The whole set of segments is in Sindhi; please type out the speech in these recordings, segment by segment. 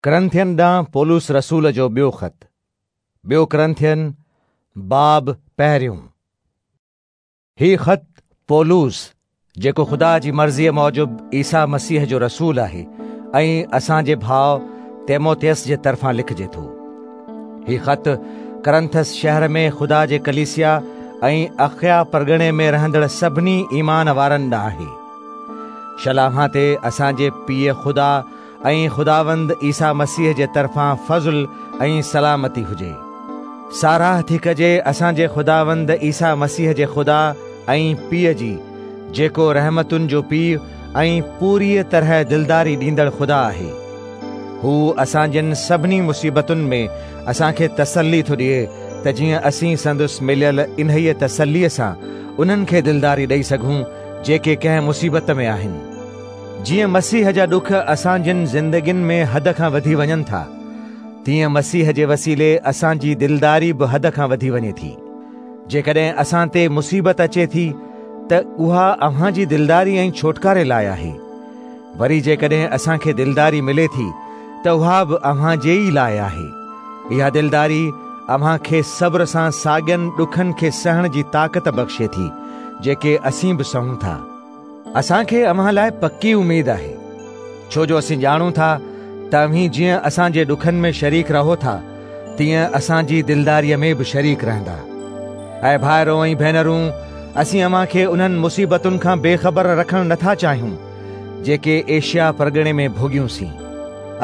ڪرنٿين ڏانهن پولس رسول جو ٻيو خط، ٻيو ڪرنٿين، باب پهريون. هي خط پولس، جيڪو خدا جي مرضيء موجب عيسيٰ مسيح جو رسول آهي ۽ اسان جي ڀاء تيموٿيس جي طرفان لکجي ٿو. هي خط ڪرنٿس شهر ۾ خدا جي ڪليسيا ۽ اخيا پرڳڻي ۾ رهندڙ سڀني ايمان وارن ڏانهن آهي. شل اوهان تي اسان جي پيء خدا ۽ خداوند عيسيٰ مسيح جي طرفان فضل ۽ سلامتي هجي. ساراهه ٿي ڪجي اسان جي خداوند عيسيٰ مسيح جي خدا ۽ پيء جي، جيڪو رحمتن جو پيء ۽ پوريء طرح دلداري ڏيندڙ خدا آهي. هو اسان جن سڀني مصيبتن ۾ اسان کي تسلي ٿو ڏئي ته جيئن اسين سندس مليل انهيء تسليء سان انهن کي دلداري ڏئي سگهون جيڪي ڪنهن مصيبت ۾ آهن. جيئن مسيح جا ڏک اسان جن زندگين ۾ حد کان وڌي وڃن ٿا، تيئن مسيح جي وسيلي اسان جي دلداري به حد کان وڌي وڃي ٿي. جيڪڏهن اسان تي مصيبت اچي ٿي ته اها اوهان جي دلداري ۽ ڇوٽڪاري لاء آهي. وري جيڪڏهن اسان کي دلداري ملي ٿي ته اها به اوهان جي ئي لاء آهي. اها دلداري اوهان کي صبر سان ساڳين ڏکن کي سهڻ جي طاقت بخشي ٿي، جيڪي اسين به سهون ٿا. اسان کي اوهان لاء پڪي اميد آهي، ڇو جو اسين ڄاڻون ٿا ته اوهين جيئن اسان جي ڏکن ۾ شريڪ رهو ٿا، تيئن اسان جي دلداريء ۾ به شريڪ رهندا. اي ڀائرو ۽ ڀينرون، اسين اوهان کي انهن مصيبتن کان بي خبر رکڻ نه ٿا چاهيون، جيڪي ايشيا پرڳڻي ۾ ڀوڳيونسين.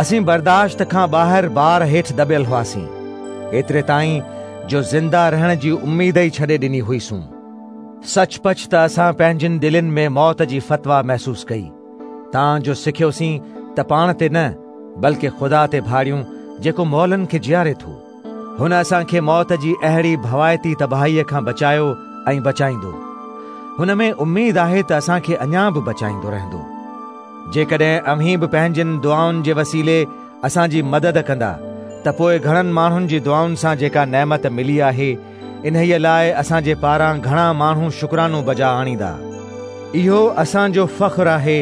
اسين برداشت کان ٻاهر بار هيٺ دٻيل هئاسين، ايتري تائين جو زنده رهڻ جي اميد ئي ڇڏي ڏني هئيسون. سچ پچ ته اسان پنهنجين دلين ۾ موت جي فتويٰ محسوس ڪئي، تان جو سکيوسين ته پاڻ تي نه، بلڪه خدا تي ڀاڙيون جيڪو مئلن کي جياري ٿو. هن اسان کي موت جي اهڙي ڀوائتي تباهيء کان بچايو ۽ بچائيندو. هن ۾ اميد آهي ته اسان کي اڃا به بچائيندو رهندو. جيڪڏهن اوهين به پنهنجين دعائن جي وسيلي اسان جي مدد ڪندا ته پوء گهڻن ماڻهن جي دعائن سان جيڪا نعمت ملي آهي، انهيء لاء اسان جي پاران گهڻا ماڻهو شڪرانو بجا آڻيندا. اهو اسان جو فخر آهي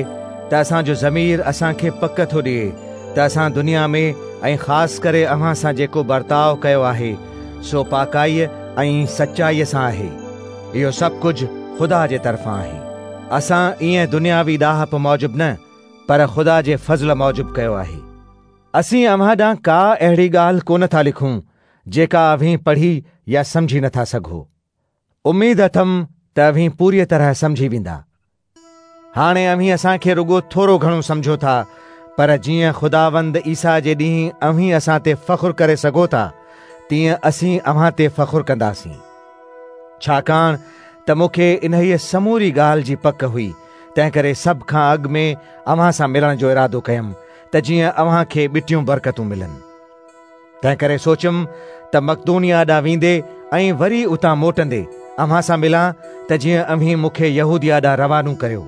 ته اسان جو ضمير اسان کي پڪ ٿو ڏئي ته اسان دنيا ۾ ۽ خاص ڪري اوهان سان جيڪو برتاء ڪيو آهي، سو پاڪائيء ۽ سچائيء سان آهي. اهو سڀ ڪجهه خدا جي طرفان آهي. اسان ائين دنياوي ڏاهپ موجب نه، پر خدا جي فضل موجب ڪيو آهي. اسين اوهان ڏانهن ڪا اهڙي ڳالهه ڪونه ٿا لکون، جيڪا اوهين پڙهي يا سمجهي نٿا سگهو. اميد اٿم ته اوهين پوريء طرح سمجهي ويندا. هاڻي اوهين اسان کي رڳو ٿورو گهڻو سمجهو ٿا، پر جيئن خداوند عيسيٰ جي ڏينهن اوهين اسان تي فخر ڪري سگهو ٿا، تيئن اسين اوهان تي فخر ڪنداسين. ڇاڪاڻ ته مون کي انهيء سموري ڳالهه جي پڪ هئي، تنهنڪري سڀ کان اڳ ۾ اوهان سان ملڻ جو ارادو ڪيم، ته جيئن اوهان کي ٻٽيون برڪتون ملن. تنهنڪري سوچيم ته مقدونيه ڏانهن ويندي ۽ وري اتان موٽندي اوهان سان ملان ته جيئن اوهين مون کي يهوديه ڏانهن روانو ڪريو.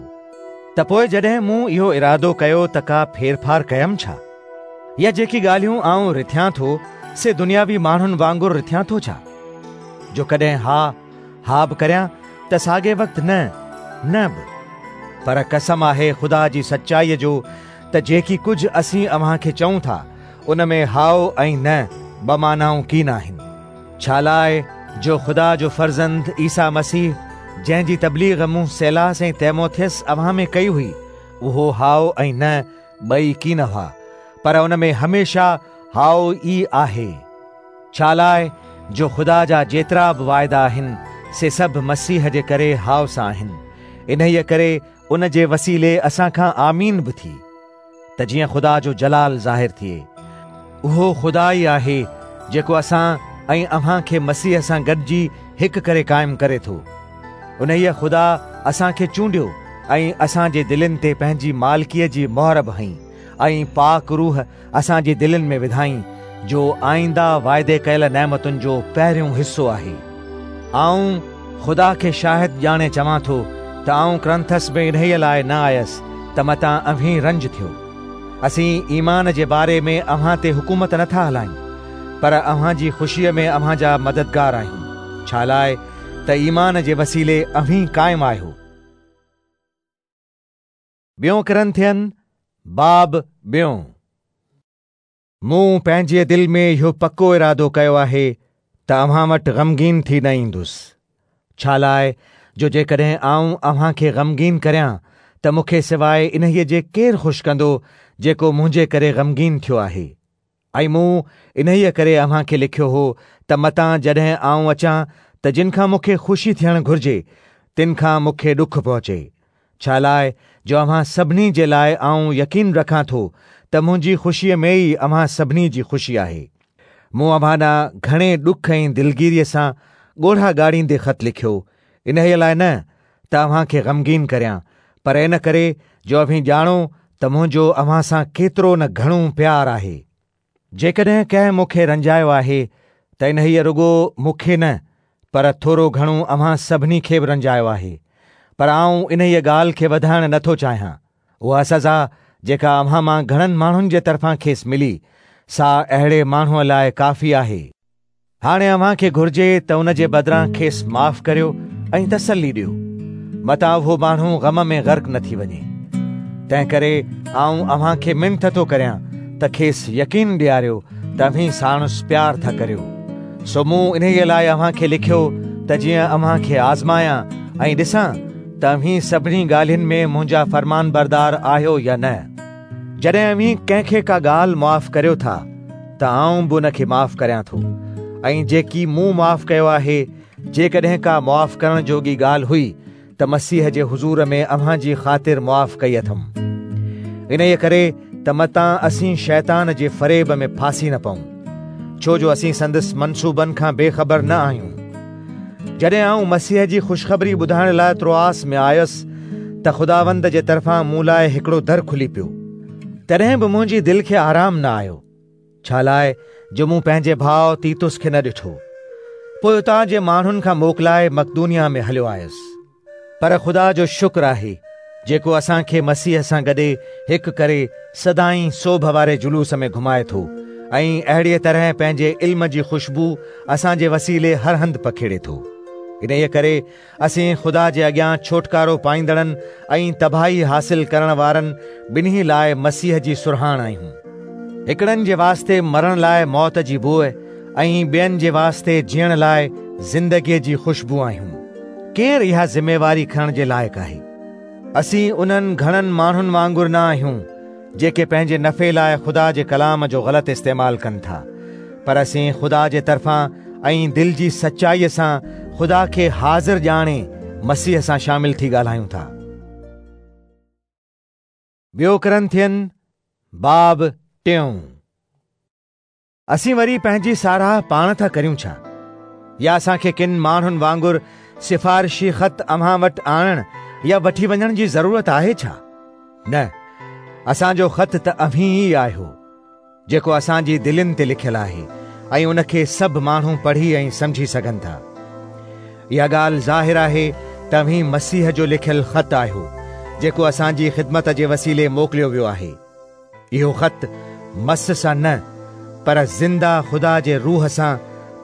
ته پوء جڏهن مون اهو ارادو ڪيو ته ڪا ڦيرڦار ڪيم ڇا؟ يا جيڪي ڳالهيون آئون رٿيان ٿو، سي دنياوي ماڻهن وانگر رٿيان ٿو ڇا؟ جو ڪڏهن ها، ها به ڪريان ته ساڳئي وقت نه، نه به. پر قسم آهي خدا جي سچائيء جو ته جيڪي ڪجهه اسين اوهان کي چئون ٿا، ان ۾ هائو ۽ نه ٻه معنائون ڪين آهن. ڇالاء جو خدا جو فرزند عيسيٰ مسيح، جنهن جي تبليغ مون سيلاس ۽ تيموٿيس اوهان ۾ ڪئي هئي، اهو هائو ۽ نه ٻئي ڪين هئا، پر ان ۾ هميشه هائو ئي آهي. ڇالاء جو خدا جا جيترا به واعدا آهن، سي سڀ مسيح جي ڪري هائو سان آهن. انهيء ڪري ان جي وسيلي اسان کان آمين به ٿي. ته جيئن خدا جو جلال ظاهر ٿئي. اهو خدا ئي آهي جيڪو اسان ۽ اوهان کي مسيح سان گڏجي هڪ ڪري قائم ڪري ٿو. انهيء خدا اسان کي چونڊيو ۽ اسان جي دلين تي پنهنجي مالڪيء جي مهر به هنئي ۽ پاڪ روح اسان جي دلين ۾ وڌائين، جو آئنده واعدي ڪيل نعمتن جو پهريون حصو آهي. آئون خدا کي شاهد ڄاڻي چوان ٿو ته آئون ڪرنٿس ۾ انهيء لاء نه آيس ته متان اوهين رنج ٿيو. اسين ايمان جي باري ۾ اوهان تي حڪومت نه ٿا هلايون، پر اوهان جي خوشيء ۾ اوهان جا مددگار آهيون، ڇالاء ته ايمان جي وسيلي اوهين قائم آهيو. ٻيون ڪرنٿين، باب ٻيون. مون پنهنجيء دل ۾ اهو پڪو ارادو ڪيو آهي ته اوهان وٽ غمگين ٿي نه ايندس، ڇالاء جو جيڪڏهن آئون اوهان کي غمگين ڪريان ته مون کي سواء انهيء جي ڪير خوش ڪندو جيڪو منهنجي ڪري غمگين ٿيو آهي؟ ۽ مون انهيء ڪري اوهان کي لکيو هو ته متان جڏهن آئون اچان ته جن کان مون کي خوشي ٿيڻ گهرجي، تن کان مون کي ڏک پهچي. ڇالاء جو اوهان سڀني جي لاء آئون يقين رکان ٿو ته منهنجي خوشيء ۾ ئي اوهان سڀني جي خوشي آهي. مون اوهان ڏانهن گهڻي ڏک ۽ دلگيريء سان ڳوڙها ڳاڙيندي خط لکيو، انهيء لاء نه ته اوهان کي غمگين ڪريان، پر ان ڪري جو اوهين ڄاڻو ته منهنجو اوهان سان ڪيترو نه گهڻو پيار آهي. جيڪڏهن ڪنهن مون کي رنجايو آهي ته انهيء رڳو مون کي نه پر ٿورو گهڻو اوهان سڀني کي به رنجايو آهي. پر آئون انهيء ڳالهه کي وڌائڻ نه ٿو چاهيان. اها سزا جيڪا اوهان مان گهڻن ماڻهن جي طرفان کيس ملي، سا اهڙي ماڻهوء لاء ڪافي آهي. هاڻي اوهان کي گهرجي ته ان جي بدران کيس معاف ڪريو ۽ تسلي ڏيو، متان اهو ماڻهو غم ۾ غرق نه ٿي وڃي. تنهنڪري آئون اوهان کي منٿ ٿو ڪريان ته کيس يقين ڏياريو ته اوهين ساڻس پيار ٿا ڪريو. سو مون انهيء لاء اوهان کي لکيو ته جيئن اوهان کي آزمايان ۽ ڏسان ته اوهين سڀني ڳالهين ۾ منهنجا فرمانبردار آهيو يا نه. جڏهن اوهين ڪنهن کي ڪا ڳالهه معاف ڪريو ٿا ته آئون به ان کي معاف ڪريان ٿو ۽ جيڪي مون معاف ڪيو آهي، جيڪڏهن ڪا معاف ڪرڻ جوڳي ڳالهه هئي ته مسيح جي حضور ۾ اوهان جي خاطر معاف ڪئي اٿم. انهيء ڪري ته متان اسين شيطان جي فريب ۾ ڦاسي نه پئون، ڇو جو اسين سندس منصوبن کان بي خبر نه آهيون. جڏهن آئون مسيح جي خوشخبري ٻڌائڻ لاء تروآس ۾ آيس ته خداوند جي طرفان مون لاء هڪڙو در کلي پيو، تڏهن به منهنجي دل کي آرام نه آيو، ڇالاء جو مون پنهنجي ڀاء تيتس کي نه ڏٺو. پوء اتان جي ماڻهن کان موڪلائي مقدونيه ۾ هليو آيس. پر خدا جو شڪر آهي، جيڪو اسان کي مسيح سان گڏي هڪ ڪري سدائين سوڀ واري جلوس ۾ گهمائي ٿو ۽ اهڙيء طرح پنهنجي علم جي خوشبو اسان جي وسيلي هر هنڌ پکيڙي ٿو. انهيء ڪري اسين خدا جي اڳيان ڇوٽڪارو پائيندڙن ۽ تباهي حاصل ڪرڻ وارن ٻنهي لاء مسيح جي سرهاڻ آهيون. هڪڙن جي واسطي مرڻ لاء موت جي بوء ۽ ٻين جي واسطي جيئڻ لاء زندگيء جي خوشبو آهيون. ڪير اها ذميواري کڻڻ جي لائق آهي؟ اسين انهن گهڻن ماڻهن وانگر نه آهيون، جيڪي پنهنجي نفعي لاء خدا جي ڪلام جو غلط استعمال ڪن ٿا، پر اسين خدا جي طرفان ۽ دل جي سچائيء سان خدا کي حاضر ڄاڻي مسيح سان شامل ٿي ڳالهايون ٿا. ٻيو ڪرنٿين باب ٽيون. اسين وري پنهنجي ساراهه پاڻ ٿا ڪريون ڇا؟ يا اسان کي ڪن ماڻهن وانگر سفارشي خط اوهان وٽ آڻڻ يا وٺي وڃڻ جي ضرورت آهي ڇا؟ نه، اسان جو خط ته اوهين ئي آهيو، جيڪو اسان جي دلين تي لکيل آهي ۽ ان کي سڀ ماڻهو پڙهي ۽ سمجهي سگهن ٿا. اها ڳالهه ظاهر آهي ته اوهين مسيح جو لکيل خط آهيو، جيڪو اسان جي خدمت جي وسيلي موڪليو ويو آهي. اهو خط مس سان نه پر زنده خدا جي روح سان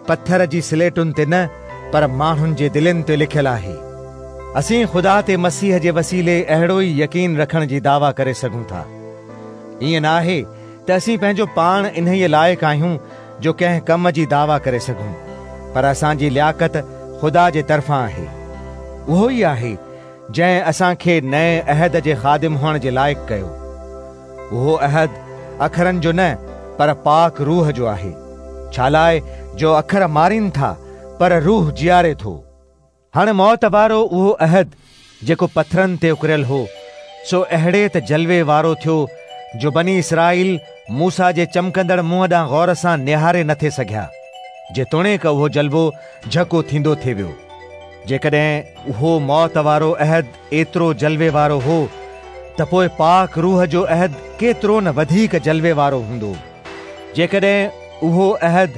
پٿر جي سليٽن تي نه پر ماڻهن جي دلين تي لکيل آهي. اسين خدا تي مسيح جي وسيلي اهڙو ئي يقين رکڻ جي دعويٰ ڪري سگهون ٿا. ائين نه آهي ته اسين پنهنجو پاڻ انهيء لائق آهيون جو ڪنهن ڪم جي دعويٰ ڪري سگهون، پر اسان جي لياقت خدا جي طرفان آهي. اهو ئي آهي جنهن اسان کي نئين عهد جي خادم هئڻ جي لائق ڪيو. اهو عهد اکرن جو نه پر پاڪ روح جو آهي، ڇالاء جو اکر مارين ٿا پر روح جياري ٿو. هاڻي موت وارو اهو عهد جيڪو پٿرن تي اڪريل هو، سو اهڙي ته جلوي وارو ٿيو جو بني اسرائيل موسيٰ جي چمڪندڙ منهن ڏانهن غور سان نهاري نه ٿي سگهيا، جيتوڻيڪ اهو جلوو جهڪو ٿيندو ٿي ويو. جيڪڏهن اهو موت وارو عهد ايترو جلوي وارو هو ته پوء پاڪ روح جو عهد ڪيترو نه وڌيڪ جلوي وارو هوندو. جيڪڏهن اهو عهد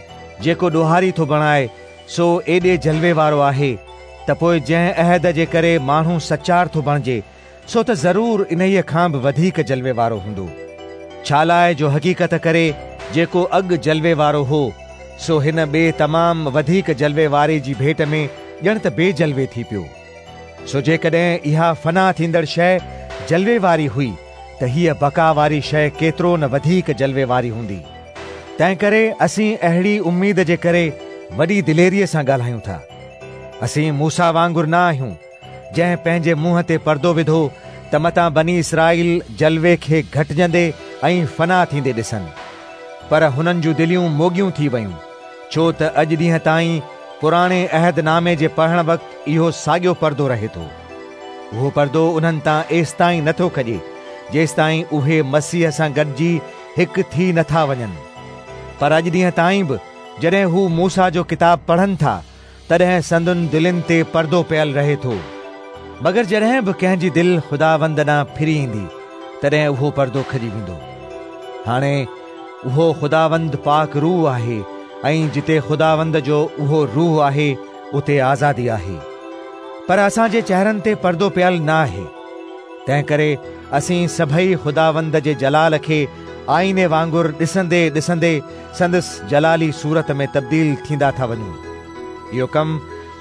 جيڪو ڏوهاري ٿو بڻائي سو ايڏي جلوي وارو آهي ته پوء جنهن عهد جي ڪري ماڻهو سچار ٿو بڻجي سو ته ضرور انهيء کان به وڌيڪ جلوي وارو هوندو. ڇالاء جو حقيقت ڪري جيڪو اڳ جلوي وارو هو، سو هن ٻئي تمام وڌيڪ جلوي واري جي ڀيٽ ۾ ڄڻ ته بي جلوي ٿي پيو. سو جيڪڏهن اها فنا ٿيندڙ شيء جلوي واري هئي ته هيء بقا واري شيء ڪيترو نه وڌيڪ جلوي واري هوندي. تنهنڪري اسين اهڙي اميد جي ڪري وڏي دليريء سان ڳالهايون ٿا. اسين موسيٰ وانگر نه آهيون، جنهن پنهنجي منهن تي پردو وڌو ته متان بني اسرائيل جلوي کي گهٽجندي ۽ فنا ٿيندي ڏسن. پر هنن جون دليون موڳيون ٿي ويون، ڇو ته اڄ ڏينهن تائين پراڻي عهد نامي جي پڙهڻ وقت اهو ساڳيو پردو رهي ٿو. اهو پردو انهن تان ايستائين نه ٿو کڄي، جيستائين اهي مسيح سان گڏجي هڪ ٿي نه ٿا وڃن. پر اڄ ڏينهن تائين به جڏهن هو موسيٰ جو ڪتاب پڙهن ٿا، تڏهن سندن دلين تي پردو پيل رهي ٿو. مگر جڏهن به ڪنهن جي دل خداوند ڏانهن ڦري ايندي، تڏهن اهو پردو کڄي ويندو. هاڻي اهو خداوند پاڪ روح آهي ۽ جتي خداوند جو اهو روح آهي، اتي آزادي آهي. پر اسان جي چهرن تي پردو پيل نه آهي، تنهنڪري اسين سڀئي خداوند جي جلال کي آئيني وانگر ڏسندي ڏسندي سندس جلالي صورت ۾ تبديل ٿيندا ٿا وڃون. اهو ڪم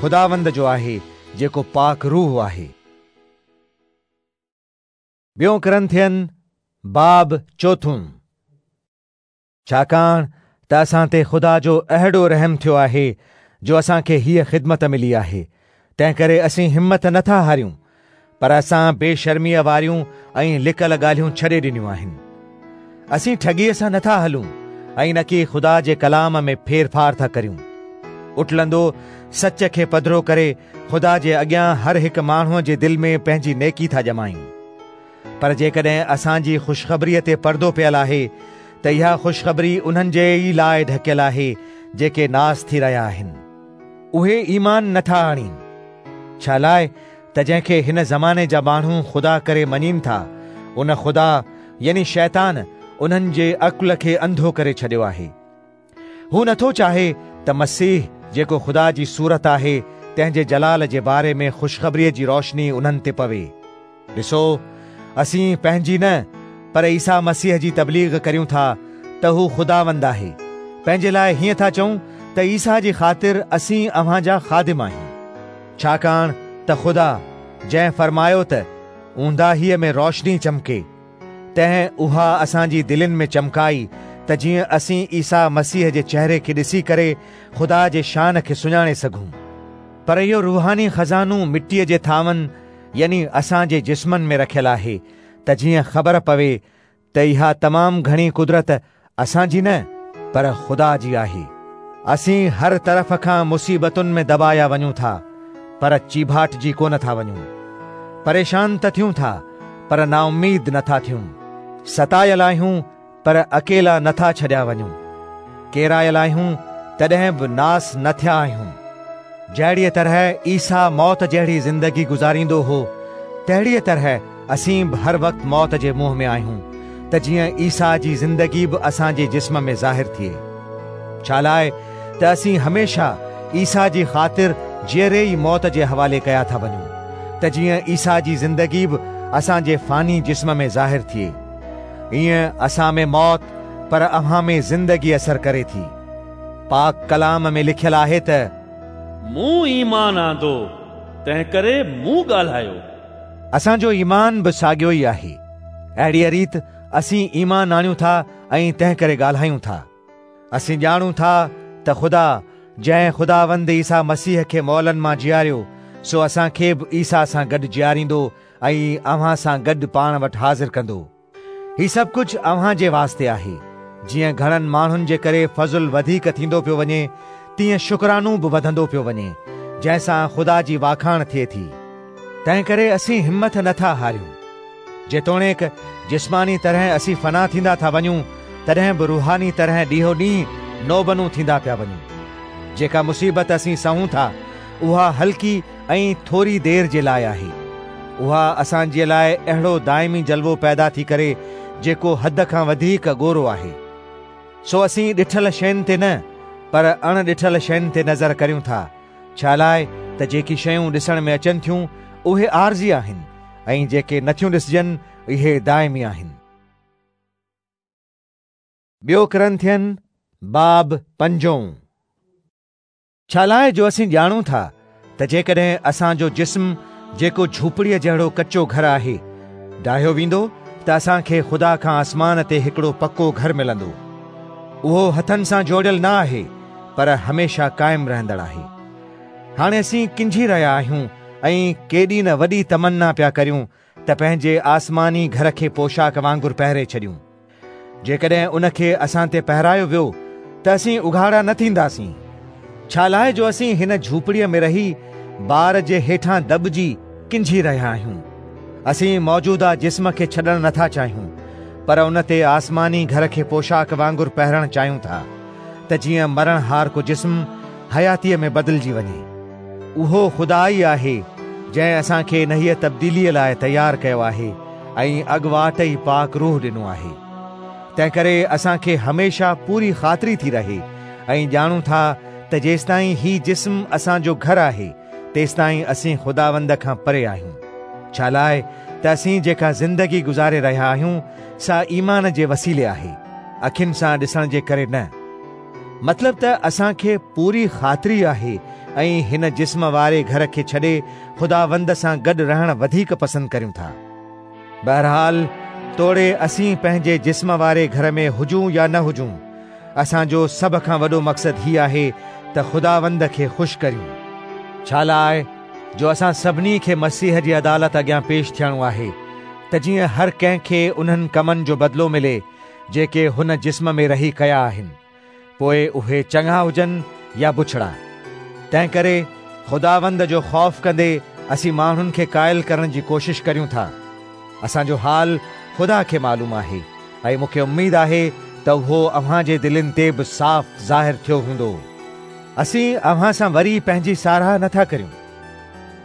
خداوند جو آهي، جيڪو پاڪ روح آهي. ٻيون ڪرنٿين باب چوٿون. ڇاڪاڻ ته اسان تي خدا جو اهڙو رحم ٿيو آهي جو اسان کي هيء خدمت ملي آهي، تنهنڪري اسين همت نه ٿا هاريون، پر اسان بي شرميء واريون ۽ لڪل ڳالهيون ڇڏي ڏنيون آهن. اسين ٺڳيء سان نه ٿا هلون ۽ نڪي خدا جي ڪلام ۾ ڦيرڦار ٿا ڪريون. اٽلندو سچ کي پڌرو ڪري خدا جي اڳيان هر هڪ ماڻهوء جي دل ۾ پنهنجي نيڪي ٿا ڄمايون. پر جيڪڏهن اسان جي خوشخبريء تي پردو پيل آهي ته اها خوشخبري انهن جي ئي لاء ڍڪيل آهي جيڪي ناس ٿي رهيا آهن. اهي ايمان نه ٿا آڻين، ڇالاء ته جنهن کي هن زماني جا ماڻهو خدا ڪري مڃين ٿا، ان خدا يعني شيطان انهن جي عقل کي انڌو ڪري ڇڏيو آهي. هو نه ٿو چاهي ته مسيح جيڪو خدا جي صورت آهي، تنهن جي جلال جي باري ۾ خوشخبريء جي روشني انهن تي پوي. ڏسو، اسين پنهنجي نه، پر عيسيٰ مسيح جي تبليغ ڪريون ٿا ته هو خداوند آهي. پنهنجي لاء هيئن ٿا چئون ته عيسيٰ جي خاطر اسين اوهان جا خادم آهيون. ڇاڪاڻ ته خدا، جنهن فرمايو ته اونداهيء ۾ روشني چمڪي، تنهن اها اسان جي دلين ۾ چمڪائي ته جيئن اسين عيسيٰ مسيح جي چهري کي ڏسي ڪري خدا جي شان کي سڃاڻي سگهون. پر اهو روحاني خزانو مٽيء جي ٿانون يعني اسان جي جسمن ۾ رکيل آهي ته جيئن خبر پوي ته اها تمام گهڻي قدرت اسان جي نه پر خدا جي آهي. اسين هر طرف کان مصيبتن ۾ دٻايا وڃون ٿا پر چيڀاٽجي ڪونه ٿا وڃون. پريشان ته ٿيون ٿا پر نااميد نه ٿا ٿيون. ستايل آهيون پر اڪيلا نه ٿا ڇڏيا وڃون. ڪيرايل آهيون تڏهن به ناس نه ٿيا آهيون. جهڙيء طرح عيسيٰ موت جهڙي زندگي گذاريندو هو، تهڙيء طرح اسين به هر وقت موت جي منهن ۾ آهيون، ته جيئن عيسيٰ جي زندگي به اسان جي جسم ۾ ظاهر ٿئي. ڇالاء ته اسين هميشه عيسيٰ جي خاطر جيئري ئي موت جي حوالي ڪيا ٿا وڃون، ته جيئن عيسيٰ جي زندگي به اسان جي فاني جسم ۾ ظاهر ٿئي. ائين اسان ۾ موت پر اوهان ۾ زندگي اثر ڪري ٿي. پاڪ ڪلام ۾ لکيل آهي ته. مون ايمان آندو، تنهنڪري مون ڳالهايو. اسان جو ايمان به ساڳيو ئي آهي. اهڙيء ريت اسين ايمان آڻيون ٿا ۽ تنهنڪري ڳالهايون ٿا. اسين ڄاڻون ٿا ته خدا، جنهن خداوند عيسيٰ مسيح کي مئلن مان جياريو، سو اسان کي به عيسيٰ سان گڏ جياريندو ۽ اوهان سان گڏ پاڻ وٽ حاضر ڪندو. هي سڀ ڪجهه اوهان جي واسطي آهي، جيئن گهڻن ماڻهن جي ڪري فضل وڌيڪ ٿيندو پيو وڃي، تيئن شڪرانو به وڌندو پيو وڃي، جنهن سان خدا جي واکاڻ ٿئي ٿي. تنهنڪري اسين همٿ نه ٿا هاريون. جيتوڻيڪ جسماني طرح اسين فنا ٿيندا ٿا وڃون، تڏهن به روحاني طرح ڏينهون ڏينهن نوبنو ٿيندا پيا وڃون. جيڪا مصيبت اسين سهون ٿا، اها هلڪي ۽ ٿوري دير جي لاء آهي. اها اسان جي لاء اهڙو دائمي جلوو پيدا ٿي ڪري جيڪو حد کان وڌيڪ ڳورو آهي. سو اسين ڏٺل شين تي نه پر اڻ ڏٺل شين تي نظر ڪريون ٿا، ڇالاء ته جيڪي شيون ڏسڻ ۾ اچن ٿيون اهي عارضي آهن ۽ جيڪي نٿيون ڏسجن اهي دائمي آهن. ٻيو ڪرنٿين باب پنجون. ڇالاء جو اسين ڄاڻون ٿا ته جيڪڏهن اسان جو جسم جيڪو جهوپڙيء جهڙو ڪچو گهر آهي، ڊاهيو ويندو ته اسان کي خدا کان آسمان تي هڪڙو پڪو گهر ملندو. اهو هٿن سان جوڙيل نه آهي، پر هميشه قائم رهندڙ آهي. هاڻي اسين ڪنجهي رهيا آهيون ۽ ڪيڏي نه وڏي تمنا پيا ڪريون ته پنهنجي آسماني گهر کي پوشاڪ وانگر پهري ڇڏيون. جيڪڏهن ان کي اسان تي پهرايو ويو ته اسين اگهاڙا نه ٿينداسين. ڇالاء جو اسين هن جهوپڙيء ۾ رهي بار جي هيٺان دٻجي ڪنجهي رهيا آهيون. اسين موجوده جسم کي ڇڏڻ نٿا چاهيون، پر ان تي آسماني گهر کي پوشاڪ وانگر پهرڻ چاهيون ٿا، ته جيئن مرڻهارڪو جسم حياتيء ۾ بدلجي وڃي. اهو خدا ئي آهي، جنهن اسان کي انهيء تبديليء لاء تيار ڪيو آهي ۽ اڳواٽ ئي پاڪ روح ڏنو آهي. تنهنڪري اسان کي هميشه پوري خاطري ٿي رهي ۽ ڄاڻون ٿا ته جيستائين هي جسم اسان جو گهر آهي، تيستائين اسين خداوند کان پري آهيون. ڇالاء ته اسين جيڪا زندگي گذاري رهيا آهيون، سا ايمان جي وسيلي آهي، اکين سان ڏسڻ جي ڪري نه. مطلب ته اسان کي پوري خاطري آهي ۽ هن جسم واري گهر کي ڇڏي خداوند سان گڏ رهڻ وڌيڪ پسند ڪريون ٿا. بهرحال توڙي اسين پنهنجي جسم واري گهر ۾ هجون يا نه هجون، اسان جو سڀ کان وڏو مقصد هي آهي ته خداوند کي خوش ڪريون. ڇالاء جو اسان سڀني کي مسيح جي عدالت اڳيان پيش ٿيڻو آهي، ته جيئن هر ڪنهن کي انهن ڪمن جو بدلو ملي، جيڪي هن جسم ۾ رهي ڪيا آهن، پوء اهي چڱا هجن يا بڇڙا. تنهنڪري خداوند جو خوف ڪندي اسين ماڻهن کي قائل ڪرڻ جي ڪوشش ڪريون ٿا. اسان جو حال خدا کي معلوم آهي ۽ مون کي اميد آهي ته اهو اوهان جي دلين تي به صاف ظاهر ٿيو هوندو. اسين اوهان سان وري پنهنجي ساراهه نه ٿا ڪريون،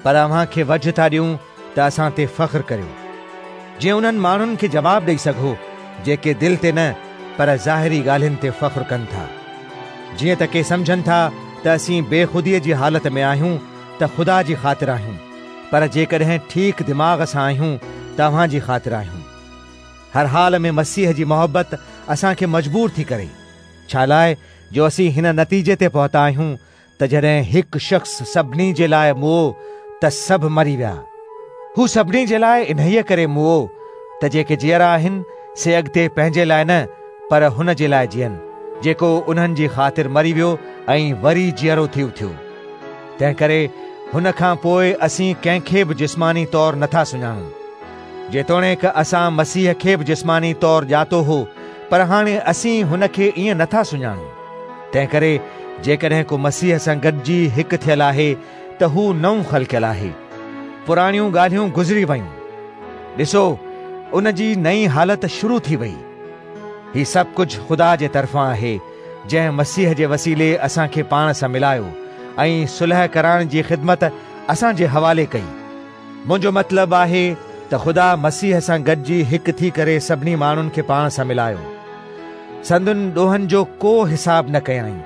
پر اوهان کي وجهه ٿا ڏيون ته اسان تي فخر ڪريو، جيئن انهن ماڻهن کي جواب ڏئي سگهو جيڪي دل تي نه پر ظاهري ڳالهين تي فخر ڪن ٿا. جيئن ته ڪي سمجهن ٿا ته اسين بيخوديء جي حالت ۾ آهيون ته خدا جي خاطر آهيون، پر جيڪڏهن ٺيڪ دماغ سان آهيون ته اوهان جي خاطر آهيون. هر حال ۾ مسيح جي محبت اسان کي مجبور ٿي ڪري، ڇالاء جو اسين هن نتيجي تي پهتا آهيون ته جڏهن هڪ شخص سڀني جي لاء مئو ته سڀ مري ويا. هو سڀني جي لاء انهيء ڪري مئو ته جيڪي جيئرا آهن سي اڳتي پنهنجي لاء نه پر هن جي لاء جيئن، جيڪو انهن جي خاطر مري ويو ۽ وري جيئرو ٿي اٿيو. تنهنڪري هن کان پوء اسين ڪنهن کي به جسماني طور نٿا سڃاڻون. جيتوڻيڪ اسان مسيح کي به جسماني طور ڄاتو هو، پر هاڻي اسين هن کي ائين نٿا سڃاڻون. تنهنڪري جيڪڏهن ڪو مسيح سان گڏجي هڪ ٿيل آهي ته هو نئون خلقيل آهي. پراڻيون ڳالهيون گذري ويون. ڏسو، ان جي نئين حالت شروع ٿي وئي. هي سڀ ڪجهه خدا جي طرفان آهي، جنهن مسيح جي وسيلي اسان کي پاڻ سان ملايو ۽ صلح ڪرائڻ جي خدمت اسان جي حوالي ڪئي. منهنجو مطلب آهي ته خدا مسيح سان گڏجي هڪ ٿي ڪري سڀني ماڻهن کي پاڻ سان ملايو. سندن ڏوهن جو ڪو حساب نه ڪيائين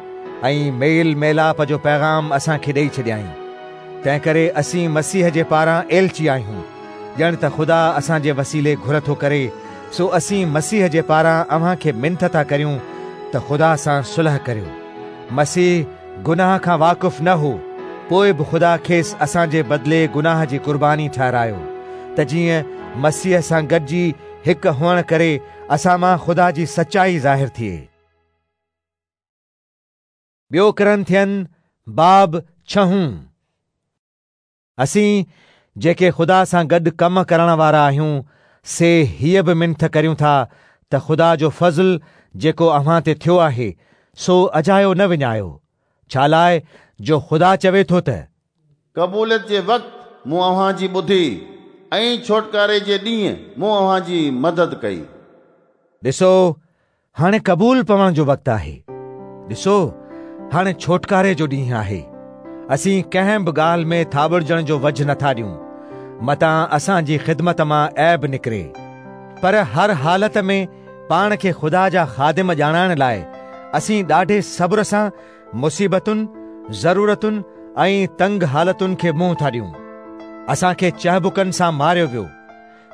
۽ ميل ميلاپ جو پيغام اسان کي ڏئي ڇڏيائين. تنهنڪري اسين مسيح جي پاران ايلچي آهيون، ڄڻ ته خدا اسان جي وسيلي گهر ٿو ڪري، سو اسين مسيح جي پاران اوهان کي منٿ ٿا ڪريون ته خدا سان صلح ڪريو. مسيح گناهه کان واقف نه هو، پوء به خدا کيس اسان جي بدلي گناهه جي قرباني ٺهرايو، ته جيئن مسيح سان گڏجي هڪ هئڻ ڪري اسان مان خدا جي سچائي ظاهر ٿئي. ٻيو ڪرنٿين باب ڇهون. اسين، جيڪي خدا سان گڏ ڪم ڪرڻ وارا آهيون، سي هيء به منٿ ڪريون ٿا ته خدا جو فضل جيڪو اوهان تي ٿيو آهي، سو اجايو نه وڃايو، ڇالاء جو خدا چوي ٿو ته. قبوليت جي وقت مون اوهان جي ٻڌي، ۽ ڇوٽڪاري جي ڏينهن مون اوهان جي مدد ڪئي. ڏسو، هاڻي قبول پوڻ جو وقت آهي. ڏسو، هاڻي ڇوٽڪاري جو ڏينهن آهي. اسين ڪنهن به ڳالهه ۾ ٿاٻڙجڻ جو وجهه نٿا ڏيون، متان اسان جي خدمت مان عيب نڪري. پر هر حالت ۾ پاڻ کي خدا جا خادم ڄاڻائڻ لاء اسين ڏاڍي صبر سان مصيبتن، ضرورتن ۽ تنگ حالتن کي منهن ٿا ڏيون. اسان کي چهبڪن سان ماريو ويو.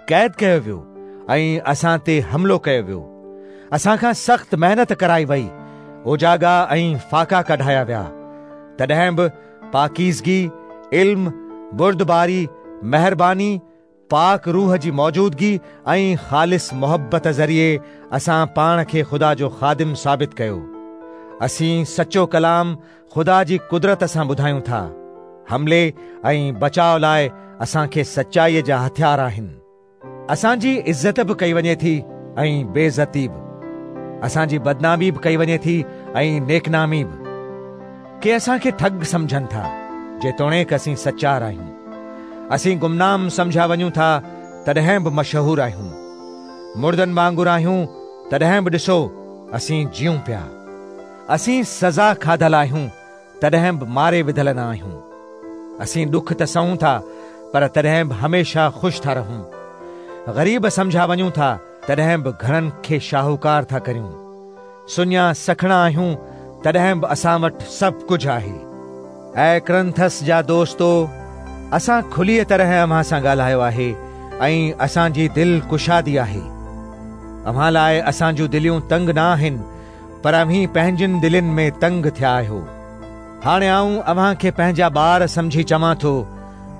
قيد ڪيو ويو ۽ اسان تي حملو ڪيو ويو. اسان کان سخت محنت ڪرائي وئي، اوجاڳا ۽ فاقا ڪڍايا ويا. تڏهن به پاڪيزگي، علم، بردباري، مهرباني، پاڪ روح جي موجودگي ۽ خالص محبت ذريعي اسان پاڻ کي خدا جو خادم ثابت ڪيو. اسين سچو ڪلام خدا جي قدرت سان ٻڌايون ٿا. حملي ۽ بچاء لاء اسان کي سچائيء جا هٿيار آهن. اسان جي عزت به ڪئي وڃي ٿي ۽ بي عزتي به. اسان جي بدنامي به ڪئي وڃي ٿي ۽ نيڪنامي به. ڪي اسان کي ٺڳ سمجهن ٿا، جيتوڻيڪ اسين سچار آهيون. اسين گمنام سمجهيا وڃون ٿا، تڏهن به مشهور آهيون. مڙدن وانگر آهيون، تڏهن به ڏسو، اسين جيئون پيا. اسين سزا کاڌل آهيون، تڏهن به ماري وڌل نه آهيون. اسين ڏک ته سهون ٿا، پر تڏهن به هميشه خوش ٿا رهون. غريب سمجهيا وڃون ٿا، تڏهن به گهڻن کي شاهوڪار ٿا ڪريون. سڃا سکڻا آهيون، تڏهن به اسان وٽ سڀ ڪجهه آهي. اي ڪرنٿس جا دوستو، اسان کليء طرح اوهان سان ڳالهايو آهي ۽ اسان جي دل ڪشادي آهي. اوهان لاء اسان جون دليون تنگ نه آهن، پر اوهين پنهنجين دلين ۾ تنگ ٿيا آهيو. هاڻي آئون اوهان کي پنهنجا ٻار سمجهي چوان ٿو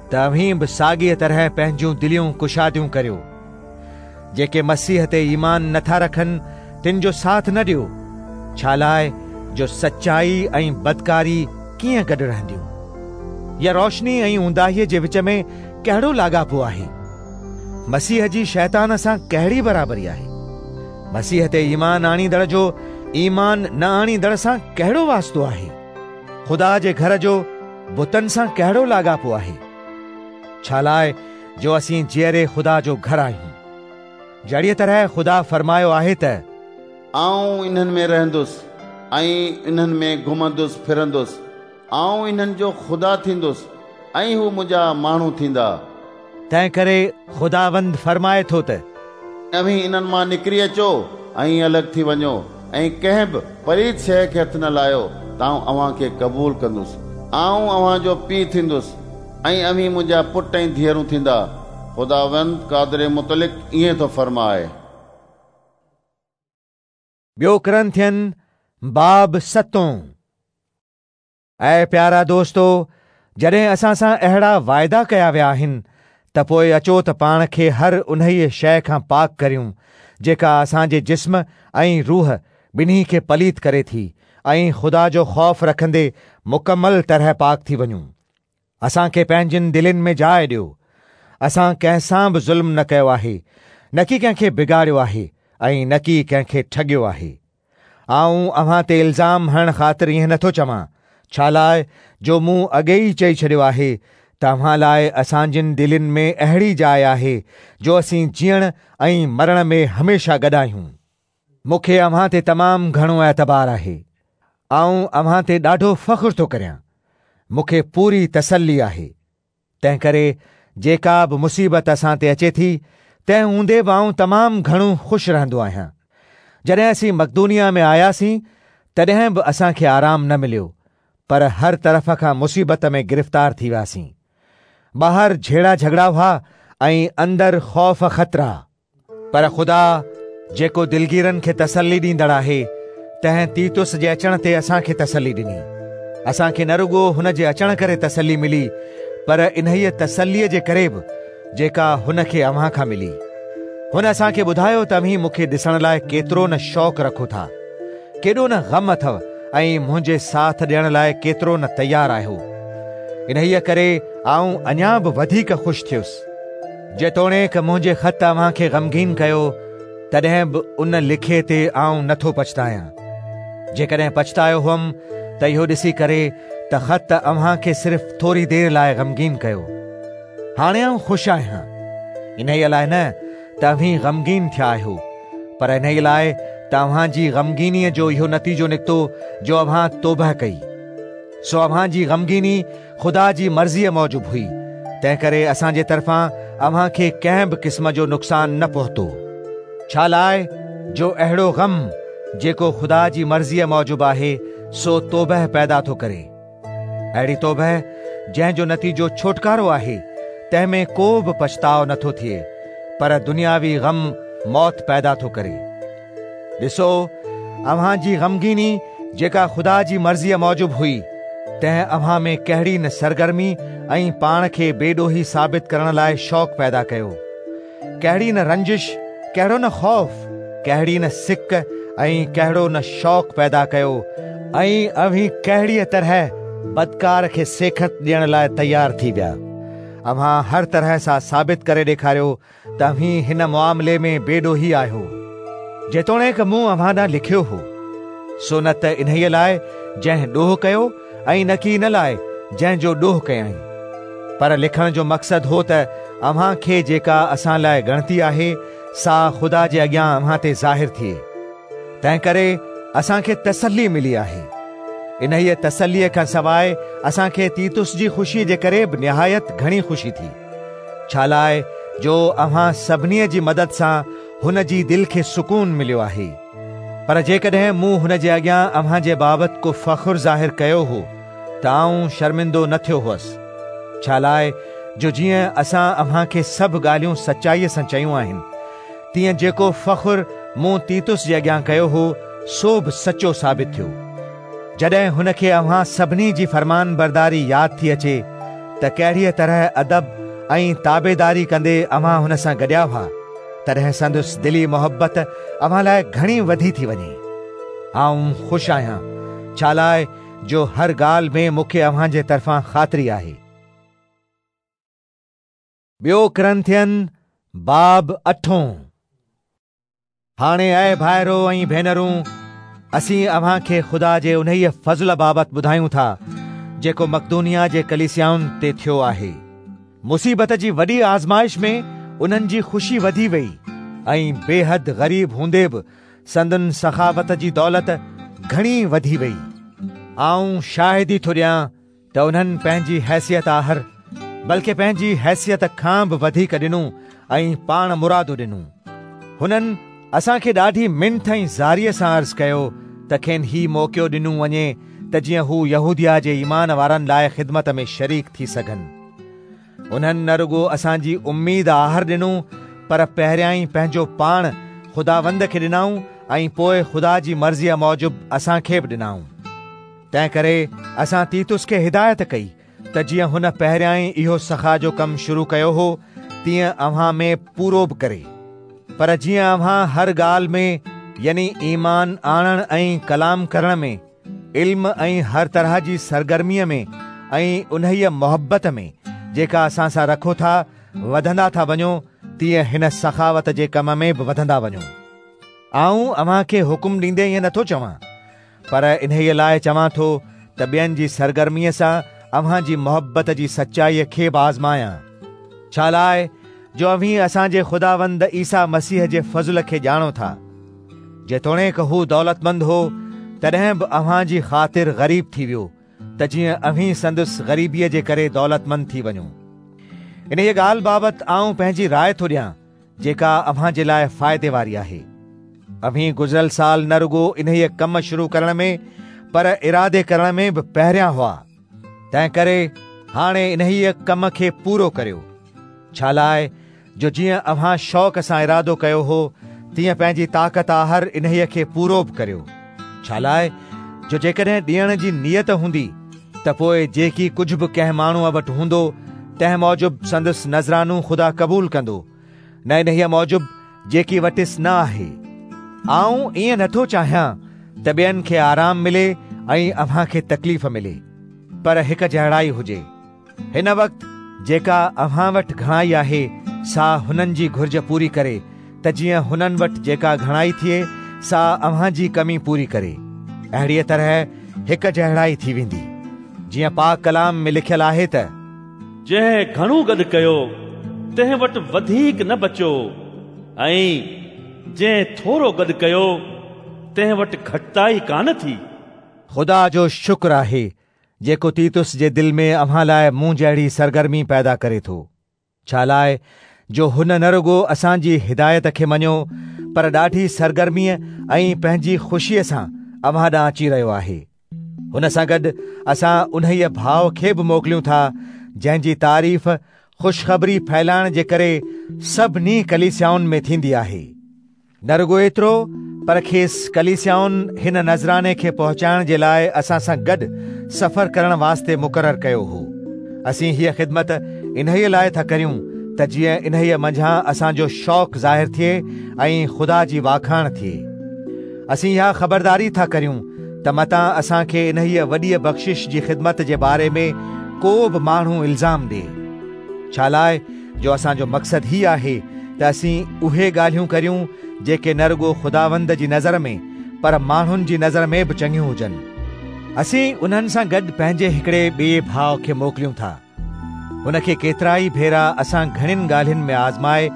ته اوهين به ساڳيء طرح پنهنجون دليون ڪشاديون ڪريو. جيڪي مسيح تي ايمان نه ٿا رکن، تن جو ساٿ نه ڏيو، ڇالاء جو سچائي ۽ بدڪاري ڪيئن گڏ رهنديون؟ يا روشني ۽ اونداهيء جي وچ ۾ ڪهڙو لاڳاپو آهي؟ مسيح جي شيطان سان ڪهڙي برابري آهي؟ مسيح تي ايمان آڻيندڙ جو ايمان نه آڻيندڙ سان ڪهڙو واسطو آهي؟ خدا جي گهر جو بتن سان ڪهڙو لاڳاپو آهي؟ ڇالاء جو اسين جيئري خدا جو گهر آهيون. جهڙيء طرح خدا فرمايو آهي ته. آئون انهن ۾ رهندس ۽ انهن ۾ گهمندس ڦرندس، آئون انهن جو خدا ٿيندس ۽ هو منهنجا ماڻهو ٿيندا. تنهنڪري خداوند فرمائي ٿو ته. اوهين انهن مان نڪري اچو ۽ الڳ ٿي وڃو ۽ ڪنهن به پليت شيء کي هٿ نه لايو ته آئون اوهان کي قبول ڪندس. آئون اوهان جو پيء ٿيندس ۽ اوهين منهنجا پٽ ۽ ڌيئرون ٿيندا. خداوند قادر مطلق ائين ٿو فرمائي. ٻيو ڪرنٿين باب ستون. اي پيارا دوستو، جڏهن اسان سان اهڙا واعدا ڪيا ويا آهن، ته پوء اچو ته پاڻ کي هر انهيء شيء کان پاڪ ڪريون، جيڪا اسان جي جسم ۽ روح ٻنهي کي پليت ڪري ٿي ۽ خدا جو خوف رکندي مڪمل طرح پاڪ ٿي وڃون. اسان کي پنهنجين دلين ۾ جاء ڏيو. اسان ڪنهن سان به ظلم نه ڪيو آهي، نڪي ڪنهن کي بگاڙيو آهي ۽ نڪي ڪنهن کي ٺڳيو آهي. آئون اوهان تي الزام هڻڻ خاطر ائين نٿو چوان، ڇالاء جو مون اڳي ئي چئي ڇڏيو آهي ته اوهان لاء اسان جين دلين ۾ اهڙي جاء آهي، جو اسين جيئڻ ۽ مرڻ ۾ هميشه گڏ آهيون. مون کي اوهان تي تمام گهڻو اعتبار آهي. آئون اوهان تي ڏاڍو فخر ٿو ڪريان. مون کي پوري تسلي آهي. تنهنڪري جيڪا به مصيبت اسان تي اچي ٿي، تنهن هوندي به آئون تمام گهڻو خوش رهندو آهيان. جڏهن اسين مقدونيه ۾ آياسين، تڏهن به اسان کي آرام نه مليو، پر هر طرف کان مصيبت ۾ گرفتار ٿي وياسين. ٻاهر جهيڙا جهڳڙا هئا ۽ اندر خوف خطرا. پر خدا، جيڪو دلگيرن کي تسلي ڏيندڙ آهي، تنهن تيتس جي اچڻ تي اسان کي تسلي ڏني. اسان کي نه رڳو هن جي اچڻ ڪري تسلي ملي، پر انهيء تسليء جي ڪري به، جيڪا هن کي اوهان کان ملي. هن اسان کي ٻڌايو ته اوهين مون کي ڏسڻ لاء ڪيترو نه شوق رکو ٿا، ڪيڏو نه غم اٿو ۽ منهنجي ساٿ ڏيڻ لاء ڪيترو نه تيار آهيو. انهيء ڪري آئون اڃا به وڌيڪ خوش ٿيس. جيتوڻيڪ منهنجي خط اوهان کي غمگين ڪيو، تڏهن به ان لکي تي آئون نه ٿو پڇتايان. جيڪڏهن پڇتايو هئم ته اهو ڏسي ڪري ته خط اوهان کي صرف ٿوري دير لاء غمگين ڪيو. هاڻي آئون خوش آهيان، انهيء لاء نه ته اوهين غمگين ٿيا آهيو، پر انهيء لاء ته اوهان جي غمگينيء جو اهو نتيجو نڪتو جو اوهان توبهه ڪئي. سو اوهان جي غمگيني خدا جي مرضيء موجب هئي، تنهنڪري اسان جي طرفان اوهان کي ڪنهن به قسم جو نقصان نه پهتو. ڇالاء جو اهڙو غم، جيڪو خدا جي مرضيء موجب آهي، سو توبهه پيدا ٿو ڪري. اهڙي توبهه، جنهن جو نتيجو ڇوٽڪارو آهي، تنهن ۾ ڪو به پڇتاء نه ٿو ٿئي، پر دنياوي غم موت پيدا ٿو ڪري. ڏسو، اوهان جي غمگيني جيڪا خدا جي مرضيء موجب هئي، تنهن اوهان ۾ ڪهڙي نه سرگرمي ۽ پاڻ کي بي ڏوهي ثابت ڪرڻ لاء شوق پيدا ڪيو. ڪهڙي نه رنجش، ڪهڙو نه خوف، ڪهڙي نه سڪ ۽ ڪهڙو نه شوق پيدا ڪيو ۽ اوهين ڪهڙيء طرح بدڪار کي سيکت ڏيڻ لاء تيار ٿي ويا. اوهان هر طرح سان ثابت ڪري ڏيکاريو ته اوهين هن معاملي ۾ بي ڏوهي آهيو. جيتوڻيڪ مون اوهان ڏانهن لکيو هو، سو نه ته انهيء لاء جنهن ڏوهه ڪيو ۽ نڪي ان لاء جنهن جو ڏوهه ڪيائين، پر لکڻ جو مقصد هو ته اوهان کي جيڪا اسان لاء ڳڻتي آهي، سا خدا جي اڳيان اوهان تي ظاهر ٿئي. تنهنڪري اسان کي تسلي ملي آهي. انهيء تسليء کان سواء اسان کي تيتس جي خوشيء جي ڪري به نهايت گهڻي خوشي ٿي، ڇالاء جو اوهان سڀني جي مدد سان هن جي دل کي سڪون مليو آهي. پر جيڪڏهن مون هن جي اڳيان اوهان جي بابت ڪو فخر ظاهر ڪيو هو ته آئون شرمندو نه ٿيو هوس، ڇالاء جو جيئن اسان اوهان کي سڀ ڳالهيون سچائيء سان چيون آهن، تيئن جيڪو فخر مون تيتس جي اڳيان ڪيو هو، سو به سچو ثابت ٿيو. جڏهن هن کي اوهان سڀني جي فرمانبرداري ياد ٿي اچي ته ڪهڙيء طرح ادب ۽ تابعداري ڪندي اوهان هن سان گڏيا هئا، تڏهن سندس دلي محبت اوهان لاء گهڻي وڌي ٿي وڃي. آئون خوش آهيان، ڇالاء جو هر ڳالهه ۾ مون کي اوهان جي طرفان خاطري آهي. ٻيو ڪرنٿين باب اٺون. هاڻي اي ڀائرو ۽ ڀينرون، اسين اوهان کي خدا جي انهيء فضل بابت ٻڌايون ٿا، جيڪو مقدونيه جي ڪليسيائن تي ٿيو آهي. مصيبت جي وڏي آزمائش ۾ انهن جي خوشي وڌي ويئي ۽ بيحد غريب هوندي به سندن سخاوت جي دولت گهڻي وڌي ويئي. آئون شاهدي ٿو ڏيان ته انهن پنهنجي حيثيت آهر بلڪه پنهنجي حيثيت کان به وڌيڪ ڏنو ۽ پاڻ مرادو ڏنو. هنن اسان کي ڏاڍي منٿ ۽ زاريء سان عرض ڪيو ته کين هي موقعو ڏنو وڃي ته جيئن هو يهوديه جي ايمان وارن لاء خدمت ۾ شريڪ ٿي سگهن. انهن نه رڳو اسان جي اميد آهر ڏنو پر پهريائين پنهنجو پاڻ خداوند کي ڏنائون ۽ پوء خدا جي مرضيء موجب اسان کي به ڏنائون. تنهنڪري اسان تيتس کي هدايت ڪئي ته جيئن هن پهريائين اهو سخا جو ڪم شروع ڪيو هو، تيئن اوهان ۾ پورو به ڪري. پر جيئن اوهان هر ڳالهه ۾ يعني ايمان آڻڻ ۽ ڪلام ڪرڻ ۾، علم ۽ هر طرح جي سرگرميء ۾ ۽ انهيء محبت ۾ جيڪا اسان سان رکو ٿا، وڌندا ٿا وڃو، تيئن هن سخاوت جي ڪم ۾ به وڌندا وڃو. آئون اوهان کي حڪم ڏيندي ائين نٿو چوان، پر انهيء لاء چوان ٿو ته ٻين جي سرگرميء سان اوهان جي محبت جي سچائيء کي به آزمايان. ڇالاء جو اوهين اسان جي خداوند عيسيٰ مسيح جي فضل کي ڄاڻو ٿا. جيتوڻيڪ هو دولتمند هو، تڏهن به اوهان جي خاطر غريب ٿي ويو، ته جيئن اوهين سندس غريبيء جي ڪري دولتمند ٿي وڃو. انهيء ڳالهه بابت آئون پنهنجي راء ٿو ڏيان جيڪا اوهان جي لاء فائدي واري آهي. اوهين گذريل سال نه رڳو انهيء ڪم شروع ڪرڻ ۾ پر ارادي ڪرڻ ۾ به پهريان هئا. تنهنڪري هاڻي انهيء ڪم کي پورو ڪريو. ڇالاء جو جيئن اوهان شوق سان ارادو ڪيو هو، تيئن پنهنجي طاقت آهر انهيء کي پورو به ڪريو. ڇالاء جو جيڪڏهن ڏيڻ جي نيت هوندي ته پوء جيڪي ڪجهه به ڪنهن ماڻهوء وٽ هوندو، تنهن موجب سندس نذرانو خدا قبول ڪندو، نه انهيء موجب جيڪي وٽس نه آهي. آئون ائين نٿو چاهيان ته ٻين کي آرام ملي ۽ اوهان کي تڪليف ملي، پر هڪ جهڙائي هجي. هن وقت جيڪا اوهان وٽ گهڻائي آهي، سا هنن جي گهرج پوري ڪري، ته جيئن هنن وٽ جيڪا گهڻائي ٿئي، سا اوهان جي ڪمي پوري ڪري. اهڙيء طرح هڪ جهڙائي ٿي ويندي. جيئن پاڪ ڪلام ۾ لکيل آهي ته. جنهن گهڻو گڏ ڪيو، تنهن وٽ وڌيڪ نه بچيو، ۽ جنهن ٿورو گڏ ڪيو، تنهن وٽ گهٽتائي ڪانه ٿي. خدا جو شڪر آهي جيڪو تيتس جي دل ۾ اوهان لاء مون جهڙي سرگرمي پيدا ڪري ٿو، ڇالاء جو هن نه رڳو اسان جي هدايت کي مڃيو، پر ڏاڍي سرگرميء ۽ پنهنجي خوشيء سان اوهان ڏانهن اچي رهيو آهي. هن سان گڏ اسان انهيء ڀاء کي به موڪليون ٿا، جنهن جي تعريف خوشخبري ڦهلائڻ جي ڪري سڀني ڪليسيائن ۾ ٿيندي آهي. نه رڳو ايترو پر کيس ڪليسيائن هن نذراني کي پهچائڻ جي لاء اسان سان گڏ سفر ڪرڻ واسطي مقرر ڪيو هو. اسين هيء خدمت انهيء لاء ٿا ڪريون ته جيئن انهيء منجهان اسان جو شوق ظاهر ٿئي ۽ خدا جي واکاڻ ٿئي. اسين اها خبرداري ٿا ڪريون ته متان اسان کي انهيء وڏيء بخشش جي خدمت جي باري ۾ ڪو به ماڻهو الزام ڏئي. ڇالاء جو اسان جو مقصد هي آهي ته اسين اهي ڳالهيون ڪريون جيڪي نه رڳو خداوند جي نظر ۾ پر ماڻهن جي نظر ۾ به چڱيون هجن. اسين انهن سان گڏ پنهنجي هڪڙي ٻئي ڀاء کي موڪليون ٿا. هن کي ڪيترائي ڀيرا اسان گهڻين ڳالهين ۾ آزمائي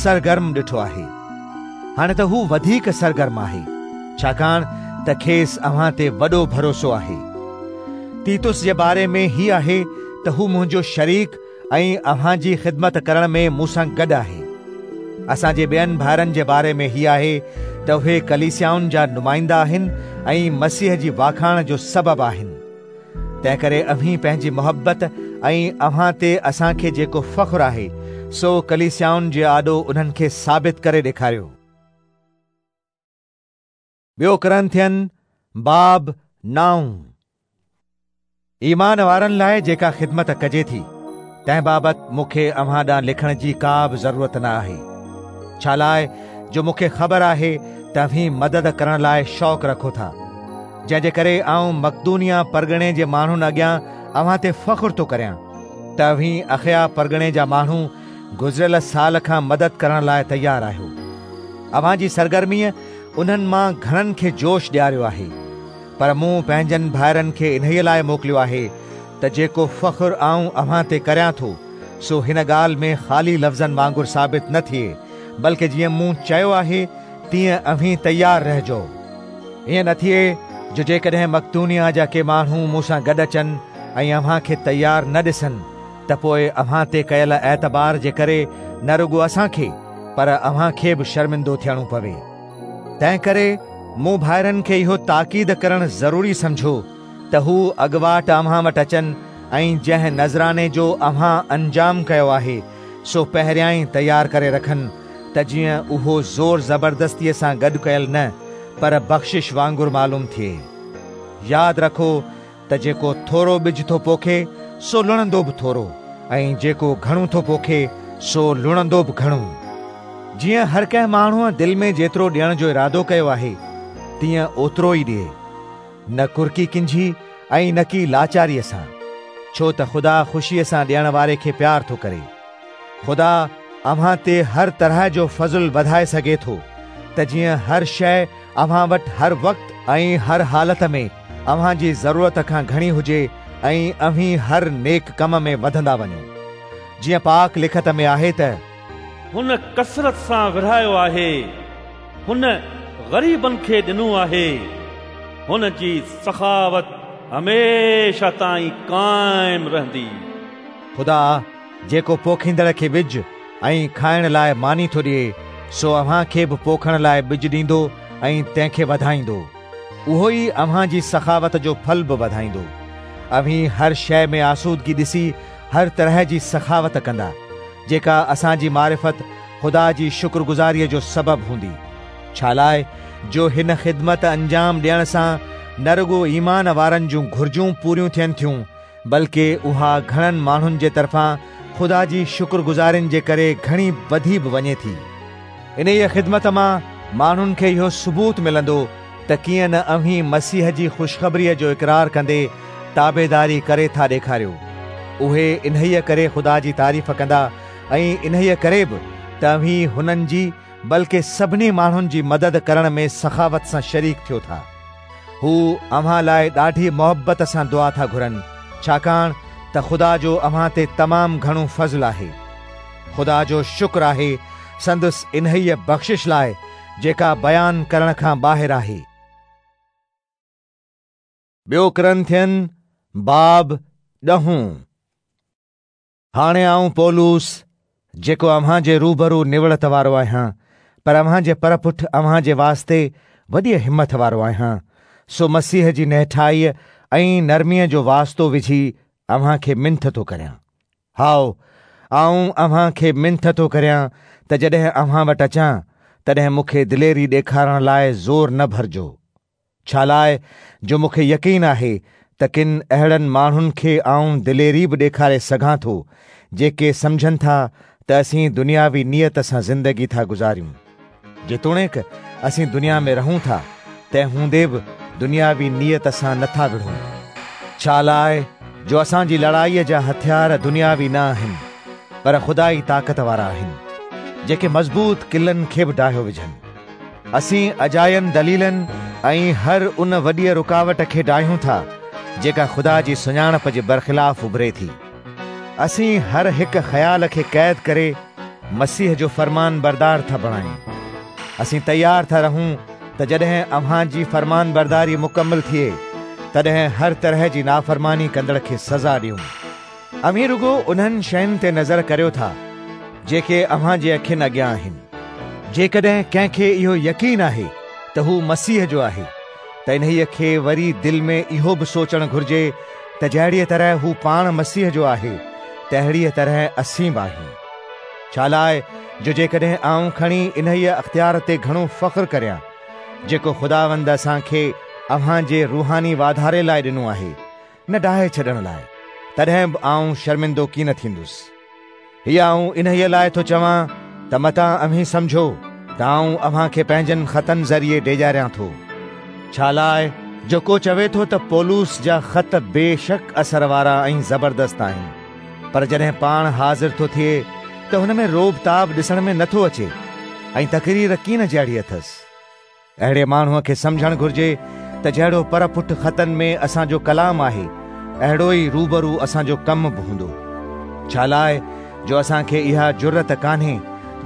سرگرم ڏٺو آهي. هاڻي ته هو وڌيڪ سرگرم آهي، ڇاڪاڻ ته کيس اوهان تي وڏو ڀروسو آهي. تيتس جي باري ۾ هي آهي ته هو منهنجو شريڪ ۽ اوهان جي خدمت ڪرڻ ۾ مون سان گڏ آهي. اسان جي ٻين ڀائرن جي باري ۾ هي آهي ته اهي ڪليسيائن جا نمائندا آهن ۽ مسيح جي واکاڻ جو سبب آهن. تنهنڪري اوهين پنهنجي محبت ۽ اوهان تي اسان کي جيڪو فخر آهي، سو ڪليسيائن جي آڏو انهن کي ثابت ڪري ڏيکاريو. ٻيو ڪرنٿين باب نائون. ايمان وارن لاء جيڪا خدمت ڪجي ٿي، تنهن بابت مون کي اوهان ڏانهن لکڻ جي ڪا به ضرورت نه آهي، ڇالاء جو مون کي خبر آهي ته اوهين مدد ڪرڻ لاء شوق رکو ٿا، جنهن جي ڪري آئون مقدونيه پرڳڻي جي ماڻهن اڳيان اوهان تي فخر ٿو ڪريان ته اوهين اخيا پرڳڻي جا ماڻهو گذريل سال کان مدد ڪرڻ لاء تيار آهيو. اوهان جي سرگرميء انهن مان گهڻن کي جوش ڏياريو آهي. پر مون پنهنجن ڀائرن کي انهيء لاء موڪليو آهي ته جيڪو فخر آئون اوهان تي ڪريان ٿو، سو هن ڳالهه ۾ خالي لفظن وانگر ثابت نه ٿئي، بلڪ جيئن مون چيو آهي، تيئن اوهين تيار رهجو. ائين نه ٿئي جو جيڪڏهن مقدونيه جا ڪي ماڻهو مون سان گڏ اچن ۽ اوهان کي تيار نه ڏسن ته پوء اوهان تي ڪيل اعتبار جي ڪري نه رڳو اسان کي پر اوهان کي به شرمندو ٿيڻو پوي. تنهنڪري مون ڀائرن کي اهو تاڪيد ڪرڻ ضروري سمجهيو ته هو اڳواٽ اوهان وٽ اچن ۽ جنهن نذراني جو اوهان انجام ڪيو آهي، سو پهريائين تيار ڪري رکن، ته جيئن اهو زور زبردستيء سان گڏ ڪيل نه، پر بخشش وانگر معلوم ٿئي. ياد رکو ته جيڪو ٿورو ٻج ٿو پوکي، سو لڻندو به ٿورو، ۽ جيڪو گهڻو ٿو پوکي، سو لڻندو به گهڻو. جيئن هر ڪنهن ماڻهوء دل ۾ جيترو ڏيڻ جو ارادو ڪيو آهي، تيئن اوترو ئي ڏئي. نه ڪرڪي ڪنجهي ۽ نڪي لاچاريء سان، ڇو ته خدا خوشيء سان ڏيڻ واري کي پيار ٿو ڪري. خدا اوهان تي هر طرح جو فضل وڌائي سگهي ٿو، ته جيئن هر شيء اوهان وٽ هر وقت ۽ هر حالت ۾ اوهان جي ضرورت کان گهڻي هجي ۽ اوهين هر نيڪ ڪم ۾ وڌندا وڃو. جيئن پاڪ لکت ۾ آهي ته. هن ڪثرت سان ورهايو آهي، هن غريبن کي ڏنو آهي، هن جي سخاوت هميشه تائين قائم رهندي. خدا، جيڪو پوکيندڙ کي ٻج ۽ کائڻ لاء ماني ٿو ڏئي، سو اوهان کي به پوکڻ لاء ٻج ڏيندو ۽ تنهن کي وڌائيندو. اهو ئي اوهان جي سخاوت جو ڦل به وڌائيندو. اوهين هر شيء ۾ آسودگي ڏسي هر طرح جي سخاوت ڪندا، جيڪا اسان جي معرفت خدا جي شڪرگذاريء جو سبب هوندي. ڇالاء جو هن خدمت انجام ڏيڻ سان نه رڳو ايمان وارن جون گهرجون پوريون ٿين ٿيون، بلڪ اها گهڻن ماڻهن جي طرفان خدا جي شڪرگذارين جي ڪري گهڻي وڌي به وڃي ٿي. انهيء خدمت مان ماڻهن کي اهو ثبوت ملندو ته ڪيئن نه اوهين مسيح جي خوشخبريء جو اقرار ڪندي تابعداري ڪري ٿا ڏيکاريو. اهي انهيء ڪري خدا جي تعريف ڪندا ۽ انهيء ڪري به ته اوهين هنن جي بلڪ سڀني ماڻهن جي مدد ڪرڻ ۾ سخاوت سان شريڪ ٿيو ٿا. هو اوهان لاء ڏاڍي محبت سان دعا ٿا گهرن، ڇاڪاڻ ته خدا جو اوهان تي تمام گهڻو فضل آهي. خدا جو شڪر آهي سندس انهيء بخشش لاء جيڪا بيان ڪرڻ کان ٻاهر آهي. ٻيو ڪرنٿين باب ڏهون. هاڻي آئون پولس، جيڪو اوهان جي روبرو نوڙت وارو آهيان، پر اوهان جي پر پٺ اوهان جي واسطي وڏيء همٿ وارو آهيان، سو مسيح جي نهٺائيء ۽ نرميء جو واسطو وجهي اوهان کي منٿ ٿو ڪريان. هائو، آئون اوهان کي منٿ ٿو ڪريان ته جڏهن اوهان وٽ اچان، تڏهن مون کي دليري ڏيکارڻ لاء زور نه ڀرجو. ڇالاء جو مون کي يقين آهي ته ڪن اهڙن ماڻهن کي آئون دليري به ڏيکاري سگهان ٿو، جيڪي سمجهن ٿا ته اسين دنياوي نيت سان زندگي ٿا گذاريون. جيتوڻيڪ اسين دنيا ۾ رهون ٿا، تنهن هوندي به دنياوي نيت سان نه ٿا وڙهون، ڇالاء جو اسان جي لڙائيء جا هٿيار دنياوي نه آهن، پر خدائي طاقت وارا آهن، جيڪي مضبوط قلعن کي به ڊاهيو وجهن. اسين اجاين دليلن ۽ هر ان وڏيء رڪاوٽ کي ڊاهيون ٿا، جيڪا خدا جي سڃاڻپ جي برخلاف اڀري ٿي. اسين هر هڪ خيال کي قيد ڪري مسيح جو فرمانبردار ٿا بڻايون. اسين تيار ٿا رهون ته جڏهن اوهان جي فرمانبرداري مڪمل ٿئي، تڏهن هر طرح جي نافرماني ڪندڙ کي سزا ڏيون. اوهين رڳو انهن شين تي نظر ڪريو ٿا، جيڪي اوهان جي اکين اڳيان آهن. جيڪڏهن ڪنهن کي اهو يقين آهي ته هو مسيح جو آهي، ته انهيء کي وري دل ۾ اهو به سوچڻ گهرجي ته جهڙيء طرح هو پاڻ مسيح جو آهي، تهڙيء طرح اسين به آهيون. ڇالاء جو جيڪڏهن آئون کڻي انهيء اختيار تي گهڻو فخر ڪريان، جيڪو خداوند اسان کي اوهان جي روحاني واڌاري لاء ڏنو آهي، نه ڊاهي ڇڏڻ لاء، تڏهن به آئون شرمندو ڪين ٿيندس. هي آئون انهيء لاء ٿو چوان ته متان اوهين سمجهو ته آئون اوهان کي پنهنجن خطن ذريعي ڊيڄاريان ٿو. ڇالاء جو ڪو چوي ٿو ته پولس جا خط بي شڪ اثر وارا ۽ زبردست آهن، پر جڏهن پاڻ حاضر ٿو ٿئي ته هن ۾ رعب تاب ڏسڻ ۾ نٿو اچي ۽ تقرير ڪين جهڙي اٿس. اهڙي ماڻهوء کي سمجهڻ گهرجي ته جهڙو پر پٺ خطن ۾ اسان جو ڪلام آهي، اهڙو ئي روبرو اسان جو ڪم به هوندو. ڇالاء جو اسان کي اها جرئت ڪانهي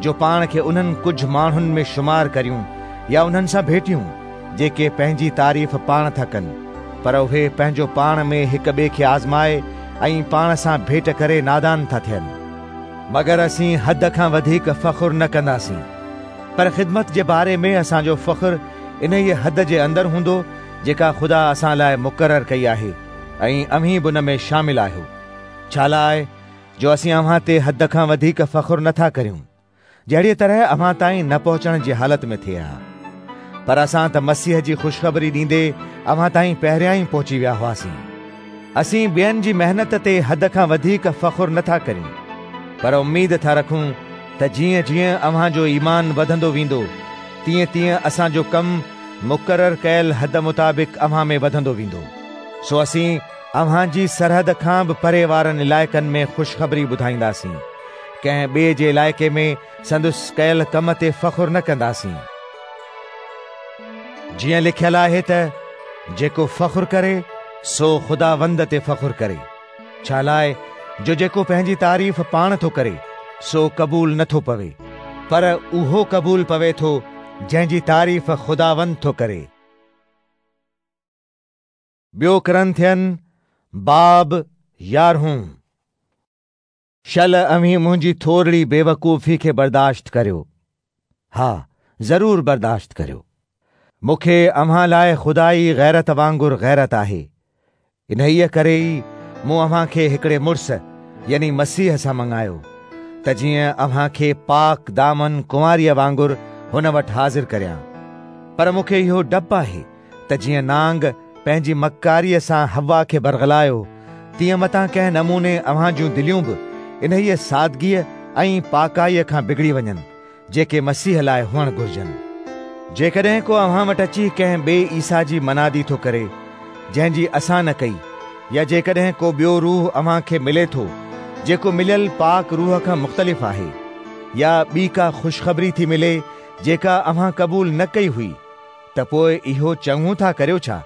جو پاڻ کي انهن ڪجهه ماڻهن ۾ شمار ڪريون يا انهن سان ڀيٽيون، جيڪي پنهنجي تعريف پاڻ ٿا ڪن، پر اهي پنهنجو پاڻ ۾ هڪ ٻئي کي آزمائي ۽ پاڻ سان ڀيٽ ڪري نادان ٿا ٿين. مگر اسين حد کان وڌيڪ فخر نه ڪنداسين. پر خدمت جي باري ۾ اسان جو فخر انهيء حد جي اندر هوندو جيڪا خدا اسان لاء مقرر ڪئي آهي ۽ اوهين به ان ۾ شامل آهيو. ڇالاء جو اسين اوهان تي حد کان وڌيڪ فخر نه ٿا ڪريون، جهڙيء طرح اوهان تائين نه پهچڻ جي حالت ۾ ٿئي ها. پر اسان ته مسيح جي خوشخبري ڏيندي اوهان تائين پهريان ئي پهچي ويا هئاسين. اسين ٻين جي محنت تي حد کان وڌيڪ فخر نه ٿا ڪريون، پر اميد ٿا رکون ته جيئن جيئن اوهان جو ايمان وڌندو ويندو، تيئن تيئن اسان جو ڪم مقرر ڪيل حد مطابق اوهان ۾ وڌندو ويندو. سو اسين اوهان جي سرحد کان به پري وارن علائقن ۾ خوشخبري ٻڌائينداسين. ڪنهن ٻئي جي علائقي ۾ سندس ڪيل ڪم تي فخر نه ڪنداسين. جيئن لکيل آهي ته جيڪو فخر ڪري سو خداوند تي فخر ڪري. ڇالاء جو جيڪو پنهنجي تعريف پاڻ ٿو ڪري سو قبول نه ٿو پوي، پر اهو قبول پوي ٿو جنهن جي تعريف خداوند ٿو ڪري. ٻيو ڪرنٿين باب يارهون. شل اوهين منهنجي ٿورڙي بيوقوفي کي برداشت ڪريو. ها، ضرور برداشت ڪريو. مون کي اوهان لاء خدائي غيرت وانگر غيرت آهي. انهيء ڪري ئي مون اوهان کي هڪڙي مڙس يعني مسيح سان مڱايو، ته جيئن اوهان کي پاڪ دامن ڪنواريء وانگر هن وٽ حاضر ڪريان. پر مون کي اهو ڊپ آهي ته جيئن نانگ پنهنجي مڪاريء سان حوا کي برغلايو، تيئن متان ڪنهن نموني اوهان جون دليون به انهيء سادگيء ۽ پاڪائيء کان بگڙي وڃن، جيڪي مسيح لاء هئڻ گهرجن. جيڪڏهن ڪو اوهان وٽ اچي ڪنهن ٻئي عيسيٰ جي منادي ٿو ڪري، جنهن جي اسان نه ڪئي، يا جيڪڏهن ڪو ٻيو روح اوهان کي ملي ٿو، جيڪو مليل پاڪ روح کان مختلف آهي، يا ٻي ڪا خوشخبري ٿي ملي، جيڪا اوهان قبول نه ڪئي هئي، ته پوء اهو چڱو ٿا ڪريو ڇا،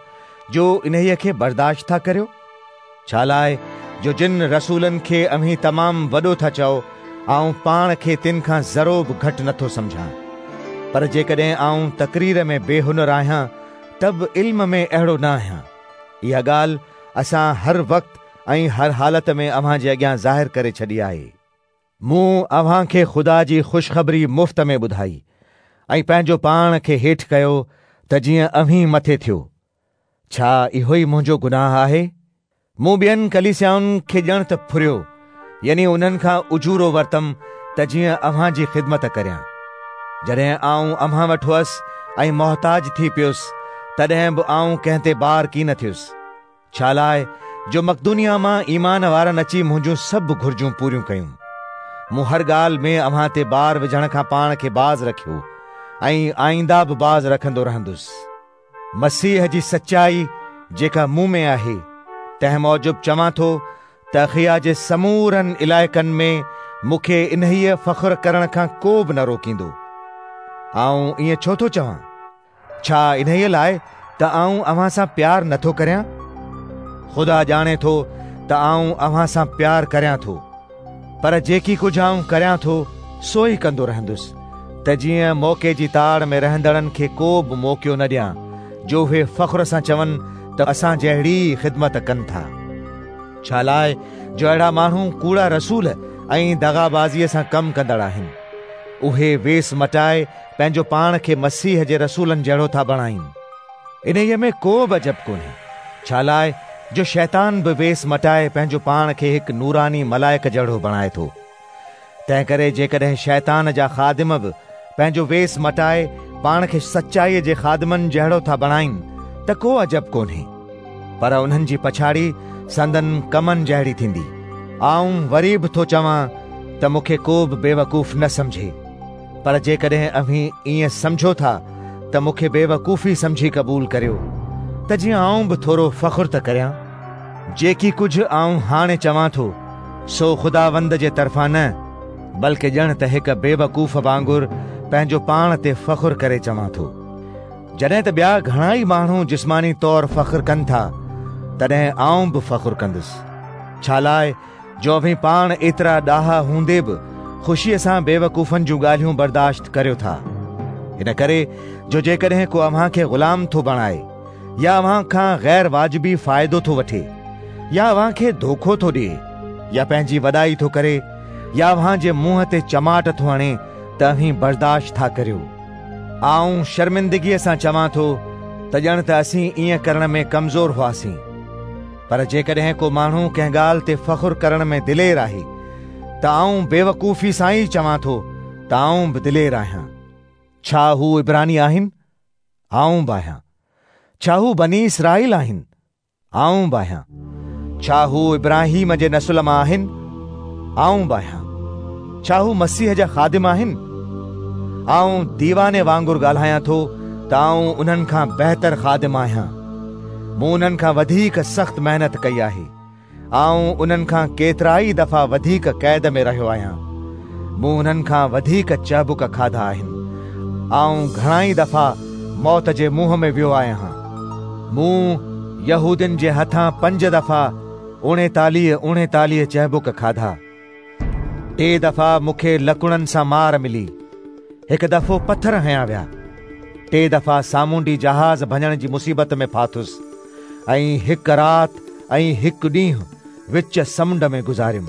جو انهيء کي برداشت ٿا ڪريو؟ ڇالاء جو جن رسولن کي اوهين تمام وڏو ٿا چئو، آئون پاڻ کي تن کان ذرو به گهٽ نٿو سمجهان. پر جيڪڏهن آئون تقرير ۾ بي هنر آهيان، ته به علم ۾ اهڙو نه آهيان. اها ڳالهه اسان هر وقت ۽ هر حالت ۾ اوهان جي اڳيان ظاهر ڪري ڇڏي آهي. مون اوهان کي خدا جي خوشخبري مفت ۾ ٻڌائي ۽ پنهنجو پاڻ کي هيٺ ڪيو ته جيئن اوهين مٿي ٿيو. ڇا اهو ئي منهنجو گناهه آهي؟ مون ٻين ڪليسيائن کي ڄڻ ته ڦريو، يعني انهن کان اجورو ورتم ته جيئن اوهان جي خدمت ڪريان. جڏهن آئون اوهان وٽ هئس ۽ محتاج ٿي پيس، تڏهن به آئون ڪنهن تي بار ڪين ٿيس. ڇالاء جو مقدونيه مان ايمان وارن اچي منهنجون سڀ گهرجون پوريون ڪيون. مون هر ڳالهه ۾ اوهان تي بار وجهڻ کان پاڻ کي باز رکيو ۽ آئنده به باز رکندو رهندس. مسيح جي سچائي جيڪا مون ۾ آهي، تنهن موجب چوان ٿو ته اخيا جي سمورن علائقن ۾ مون کي انهيء فخر ڪرڻ کان ڪو به نه روڪيندو. آئون ائين ڇو ٿو چوان؟ ڇا انهيء لاء ته آئون اوهان سان پيار نه ٿو ڪريان؟ خدا ڄاڻي ٿو ته آئون اوهان سان پيار ڪريان ٿو. پر جيڪي ڪجهه آئون ڪريان ٿو، سو ئي ڪندو رهندس، ته جيئن موقعي جي تاڙ ۾ رهندڙن کي ڪو به موقعو نه ڏيان، جو اهي فخر سان چون ته اسان جهڙي ئي خدمت ڪن ٿا. ڇالاء جو اهڙا ماڻهو ڪوڙا رسول ۽ دغابازيء سان ڪم ڪندڙ آهن. اهي ويس مٽائي پنهنجو پاڻ کي مسيح جي رسولن جهڙو ٿا بڻائين. انهيء ۾ ڪو به عجب ڪونهي، ڇالاء جو شيطان به ويس مٽائي پنهنجو پاڻ کي هڪ نوراني ملائڪ جهڙو بڻائي ٿو. تنهنڪري جيڪڏهن شيطان جا خادم به پنهنجو ويس مٽائي پاڻ کي سچائيء جي خادمن جهڙو ٿا بڻائين ته ڪو عجب ڪونهي، پر انهن جي پڇاڙي سندن ڪمن جهڙي ٿيندي. آئون وري به ٿو چوان ته مون کي ڪو به بيوقوف نه سمجهي. پر جيڪڏهن اوهين ائين سمجهو ٿا ته مون کي بيوقوفي سمجهي قبول ڪريو، ته جيئن آئون به ٿورو فخر ته ڪريان. جيڪي ڪجهه آئون هاڻي چوان ٿو، سو خداوند جي طرفان نه، بلڪ ڄڻ ته هڪ بيوقوف وانگر پنهنجو پاڻ تي فخر ڪري چوان ٿو. جڏهن ته ٻيا گهڻا ئي ماڻهو جسماني طور فخر ڪن ٿا، تڏهن آئون به فخر ڪندس. ڇالاء جو اوهين پاڻ ايترا ڏاها هوندي به خوشيء سان بيوقوفن جون ڳالهيون برداشت ڪريو ٿا. ان ڪري جو جيڪڏهن ڪو اوهان کي غلام ٿو بڻائي يا اوهان کان غير واجبي فائدو ٿو وٺي يا اوهان کي دوکو ٿو ڏئي يا پنهنجي وڏائي ٿو ڪري يا اوهان جي منهن تي چماٽ ٿو هڻي ته اوهين برداشت ٿا ڪريو. آئون شرمندگيء سان چوان ٿو ته ڄڻ ته اسين ائين ڪرڻ ۾ ڪمزور هئاسين. پر جيڪڏهن ڪو ماڻهو ڪنهن ڳالهه تي فخر ڪرڻ ۾ دلير آهي ته آئون بيوقوفي سان ئي چوان ٿو ته آئون به دلير آهيان. ڇا هو عبراني آهن؟ آئون به آهيان. ڇا هو بني اسرائيل آهن؟ آئون به آهيان. ڇا هو ابراهيم جي نسل مان آهن؟ آئون به آهيان. ڇا هو مسيح جا خادم آهن؟ آئون ديواني وانگر ڳالهايان ٿو ته آئون انهن کان بهتر خادم آهيان. مون انهن کان وڌيڪ سخت محنت ڪئي آهي. آئون انهن کان ڪيترائي دفعا وڌيڪ قيد ۾ رهيو آهيان. مون انهن کان وڌيڪ چهبڪ کاڌا آهن. آئون گهڻائي دفعا موت جي منهن ۾ ويو آهيان. مون يهودين جي هٿان پنج دفعا اوڻيتاليهه اوڻيتاليهه چهبڪ کاڌا. ٽي دفعا مون کي لڪڻن سان مار ملي. هڪ دفعو پٿر هنيا ويا. ٽي دفعا سامونڊي جهاز ڀڃڻ جي مصيبت ۾ ڦاٿس ۽ هڪ رات ۽ هڪ ڏينهن وچ سمنڊ ۾ گذاريم.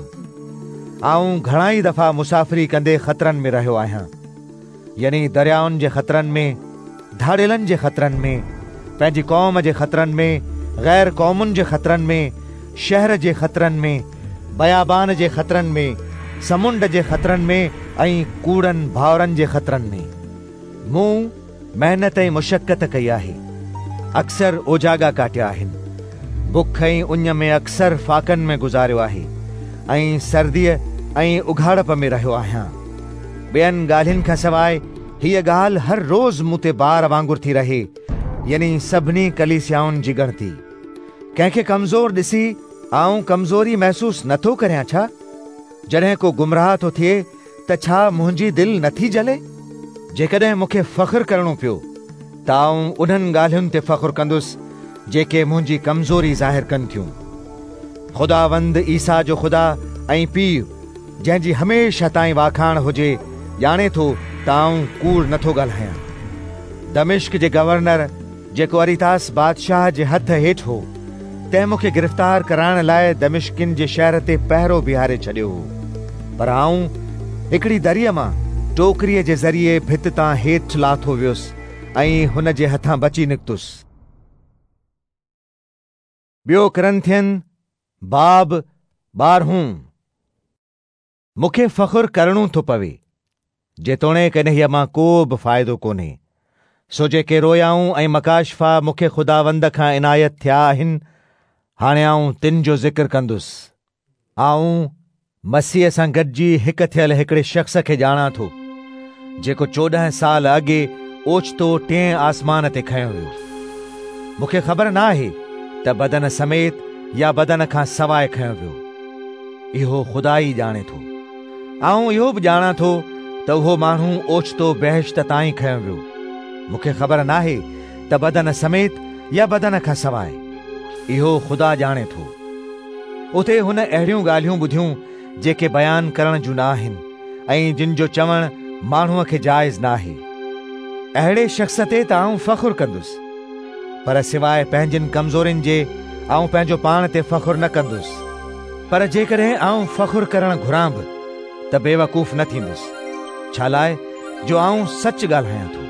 آئون گهڻائي دفعا مسافري ڪندي خطرن ۾ رهيو آهيان، يعني دريائن جي خطرن ۾، ڌاڙيلن جي خطرن ۾، پنهنجي قوم جي خطرن ۾، غير قومن جي خطرن ۾، شهر جي خطرن ۾، بيابان جي خطرن ۾، سمنڊ جي خطرن ۾ ۽ ڪوڙن ڀائرن جي خطرن ۾. مون محنت ۽ مشقت ڪئي آهي، اڪثر اوجاڳا ڪاٽيا آهن، بک ۽ اڃ ۾ اڪثر فاقن ۾ گذاريو آهي ۽ سرديء ۽ اگهاڙپ ۾ رهيو آهيان. ٻين ڳالهين کان سواء هيء ڳالهه هر روز مون تي بار وانگر ٿي رهي، يعني سڀني ڪليسيائن جي ڳڻتي. ڪنهن کي ڪمزور ڏسي آئون ڪمزوري محسوس نه ٿو ڪريان ڇا؟ جڏهن ڪو گمراهه ٿو ٿئي ته ڇا منهنجي دل نه ٿي جلي؟ جيڪڏهن مون کي فخر ڪرڻو پيو ته آئون انهن ڳالهين تي فخر ڪندس جيڪي منهنجي ڪمزوري ظاهر ڪن ٿيون. خداوند عيسيٰ جو خدا ۽ پيء، جنهن جي هميشه تائين واکاڻ هجي، ڄاڻي ٿو ته آئون ڪوڙ نه ٿو ڳالهايان. دمشق جي گورنر جيڪو اريتاس بادشاهه جي هٿ هيٺ هو، تنهن مون کي گرفتار ڪرائڻ لاء دمشقين جي شهر تي پهرو بيهاري ڇڏيو هو. پر آئون هڪڙي دريء مان ٽوڪريء جي ذريعي ڀت تان هيٺ لاٿو ويس ۽ هن جي هٿان بچي نڪتس. ٻيو ڪرنٿين باب ٻارهون. مون کي فخر ڪرڻو ٿو پوي، جيتوڻيڪ انهيء مان ڪو به فائدو ڪونهي. سو جيڪي رويائون ۽ مڪاشفا مون کي خداوند کان عنايت ٿيا آهن، هاڻي آئون تن جو ذڪر ڪندس. آئون مسيح سان گڏجي هڪ ٿيل هڪڙي شخص کي ڄاڻان ٿو، جيڪو 14 سال اڳي اوچتو ٽئين آسمان تي کنيو ويو. مون کي خبر نه آهي ته بدن سميت يا بدن کان سواء کنيو ويو. اهو خدا ئي ڄاڻي ٿو. آئون اهو به ڄاڻان ٿو ته اهو ماڻهو اوچتو بهشت تائين کنيو ويو. مون کي خبر ناهي ته بدن سميت يا بدن کان سواء. اهو خدا ڄاڻي ٿو. اتي هن اهڙيون ڳالهيون ٻڌيون جيڪي بيان ڪرڻ جون نه آهن ۽ جن جو چوڻ ماڻهوء کي جائز ناهي. اهڙي شخص تي ته آئون فخر ڪندس، پر سواء پنهنجين ڪمزورين جي آئون پنهنجو پاڻ تي فخر نه ڪندس. پر جيڪڏهن آئون فخر ڪرڻ گهران به ته بيوقوف نه ٿيندس، ڇالاء جو آئون سچ ڳالهايان ٿو.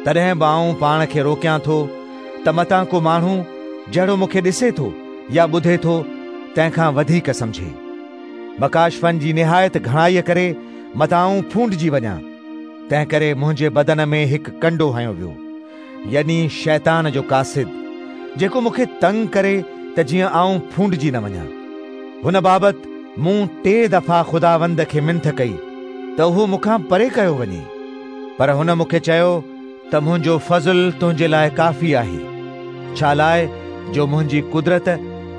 تڏهن به آئون پاڻ کي روڪيان ٿو ته متان ڪو ماڻهو جهڙو مون کي ڏسي ٿو يا ٻڌي ٿو، تنهن کان وڌيڪ سمجهي. مڪاشفن جي نهايت گهڻائيء ڪري متان آئون ڦونڊجي وڃان، تنهنڪري منهنجي بدن ۾ هڪ ڪنڊو هنيو ويو، يعني شيطان جو قاصد، جيڪو مون کي تنگ ڪري ته جيئن آئون ڦونڊجي نه وڃان. هن بابت مون ٽي دفعا خداوند کي منٿ ڪئي ته اهو مون کان پري ڪيو وڃي، پر هن مون کي چيو ته منهنجو فضل تنهنجي لاء ڪافي آهي، ڇالاء جو منهنجي قدرت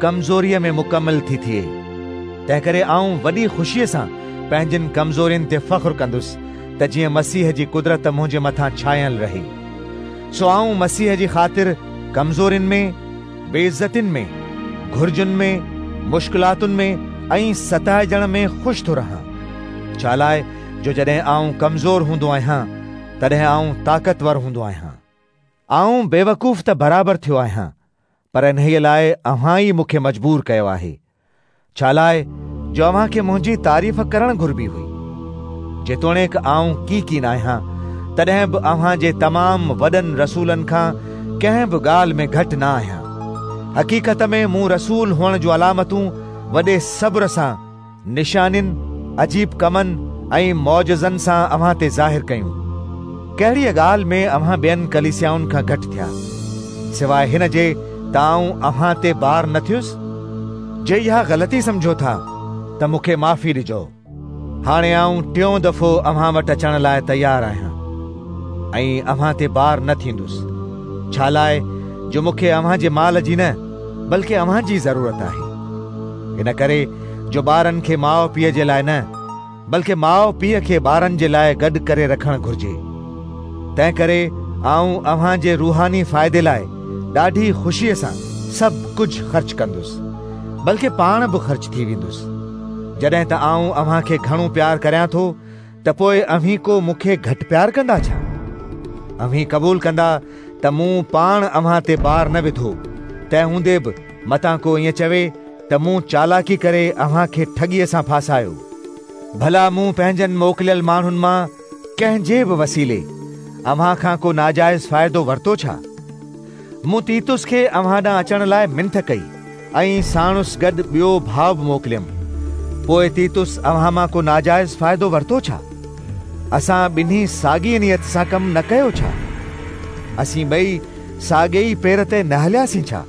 ڪمزوريء ۾ مڪمل ٿي ٿئي. تنهنڪري آئون وڏي خوشيء سان پنهنجين ڪمزورين تي فخر ڪندس، ته جيئن مسيح جي قدرت منهنجي مٿان ڇانيل رهي. سو آئون مسيح جي خاطر ڪمزورين ۾، بيعزتين ۾، گهرجن ۾، مشڪلاتن ۾ ۽ ستائجڻ ۾ خوش ٿو رهان. ڇالاء جو جڏهن آئون ڪمزور هوندو آهيان، تڏهن آئون طاقتور هوندو آهيان. آئون بيوقوف ته برابر ٿيو آهيان، پر انهيء لاء اوهان ئي مون کي مجبور ڪيو آهي، ڇالاء جو اوهان کي منهنجي تعريف ڪرڻ گهربي هئي. جيتوڻيڪ آئون ڪي ڪين آهيان، تڏهن به اوهان جي تمام وڏن رسولن کان ڪنهن به ڳالهه ۾ گهٽ نه آهيان. حقيقت ۾ مون رسول هئڻ جون علامتون وڏي صبر سان نشانين، عجيب ڪمن ۽ معجزن سان اوهان تي ظاهر ڪيون. ڪهڙيء ڳالهه ۾ اوهان ٻين ڪليسيائن کان گهٽ ٿيا، سواء هن جي ته آئون اوهان تي بار نه ٿيس؟ جي اها غلطي سمجهو ٿا ته مون کي معافي ڏجو. هاڻي آئون ٽيون دفعو اوهان وٽ اچڻ لاء تيار آهيان ۽ اوهان تي بار نه ٿيندس، ڇالاء جو مون کي اوهان جي مال جي نه بلڪه اوهان جي ضرورت آهي. ان ڪري جو ٻارن کي ماء پيء جي لاء نه بلڪه ماء پيء کي ٻارن جي لاء گڏ ڪري رکڻ گهرجي. تنهن ڪري آئون اوهان جي روحاني فائدي لاء ڏاڍي خوشيء سان سڀ ڪجهه خرچ ڪندس، بلڪه پاڻ به خرچ ٿي ويندس. جڏهن ته آئون اوهان کي گهڻو پيار ڪريان ٿو ته پوء اوهين ڪو مون کي گهٽ پيار ڪندا ڇا؟ اوهين قبول ڪندا ته مون پاڻ اوهان تي بار نه وڌو، تنهن هوندي به متان ڪو ائين چوي ته مون چالاڪي ڪري اوهان کي ٺڳيء سان ڦاسايو. ڀلا مون پنهنجن موڪليل ماڻهن مان ڪنهن جي به وسيلي اوهان کان ڪو ناجائز فائدو ورتو ڇا؟ مون تيتس کي اوهان ڏانهن اچڻ لاء منٿ ڪئي ۽ ساڻس گڏ ٻيو ڀاء به موڪليم. پوء تيتس اوهان مان ڪو ناجائز فائدو ورتو ڇا؟ اسان ٻنهي ساڳيء نيت سان ڪم نه ڪيو ڇا؟ اسين ٻئي ساڳئي ئي پير تي نه هلياسين ڇا؟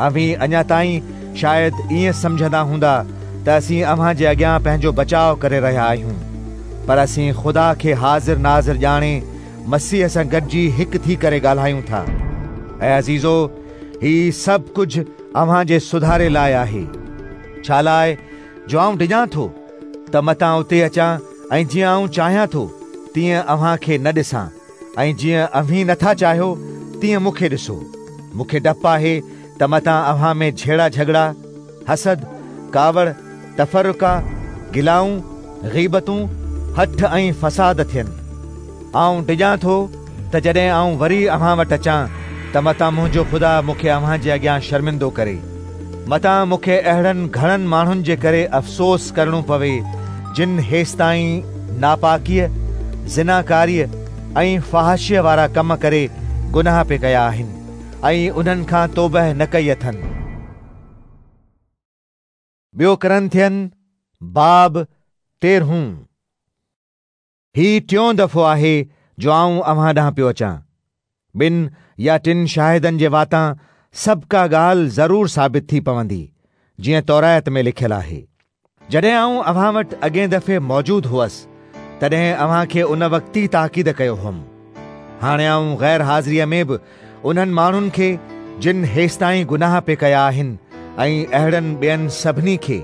اوهين اڃا تائين شايد ائين سمجهندا هوندا ته اسين اوهان جي اڳيان پنهنجو بچاء ڪري رهيا آهيون، پر اسين خدا کي حاضر ناظر ڄاڻي مسيح سان گڏجي هڪ ٿي ڪري ڳالهايون ٿا. اي عزيزو! هي سڀ ڪجهه اوهان جي سڌاري لاء آهي، ڇالاء جو آئون ڊڄان ٿو ته متان اتي اچان ۽ جيئن آئون چاهيان ٿو تيئن اوهان کي نه ڏسان. ۽ جيئن اوهين نٿا چاهيو تيئن مون کي ڏسو. مون کي ڊپ آهي ته متان اوهان ۾ جهيڙا جهڳڙا، حسد، ڪاوڙ، تفرقا، گلائون، غيبتون، هٺ ۽ فساد ٿين. آئون ڊڄان ٿو ته جڏهن آئون وري اوهان وٽ اچان ته متان منهنجو خدا مون کي اوهان جي اڳيان شرمندو ڪري. متان مون کي اهڙن گهڻن ماڻهن جي ڪري افسوس ڪرڻو پوي جن هيستائين ناپاڪيء، زناڪاريء ۽ فحاشيء وارا ڪم ڪري گناهه پئي ڪيا آهن ۽ انهن کان توبهه نه ڪئي اٿن. ٻيو ڪرنٿين باب تيرهون. هي ٽيون دفعو آهي جو آئون اوهان ڏانهن پيو اچان. ٻن يا ٽن شاهدن جي واتان سڀ ڪا ڳالهه ضرور ثابت ٿي پوندي، جيئن تورات ۾ لکيل آهي. جڏهن آئون اوهان وٽ اڳئين دفعي موجود هئس، تڏهن اوهان کي ان وقت ئي تاڪيد ڪيو هئم. هاڻي آئون غير حاضريء ۾ به انهن ماڻهن کي جن هيستائين گناهه پئي ڪيا آهن ۽ اهڙن ٻين سڀني کي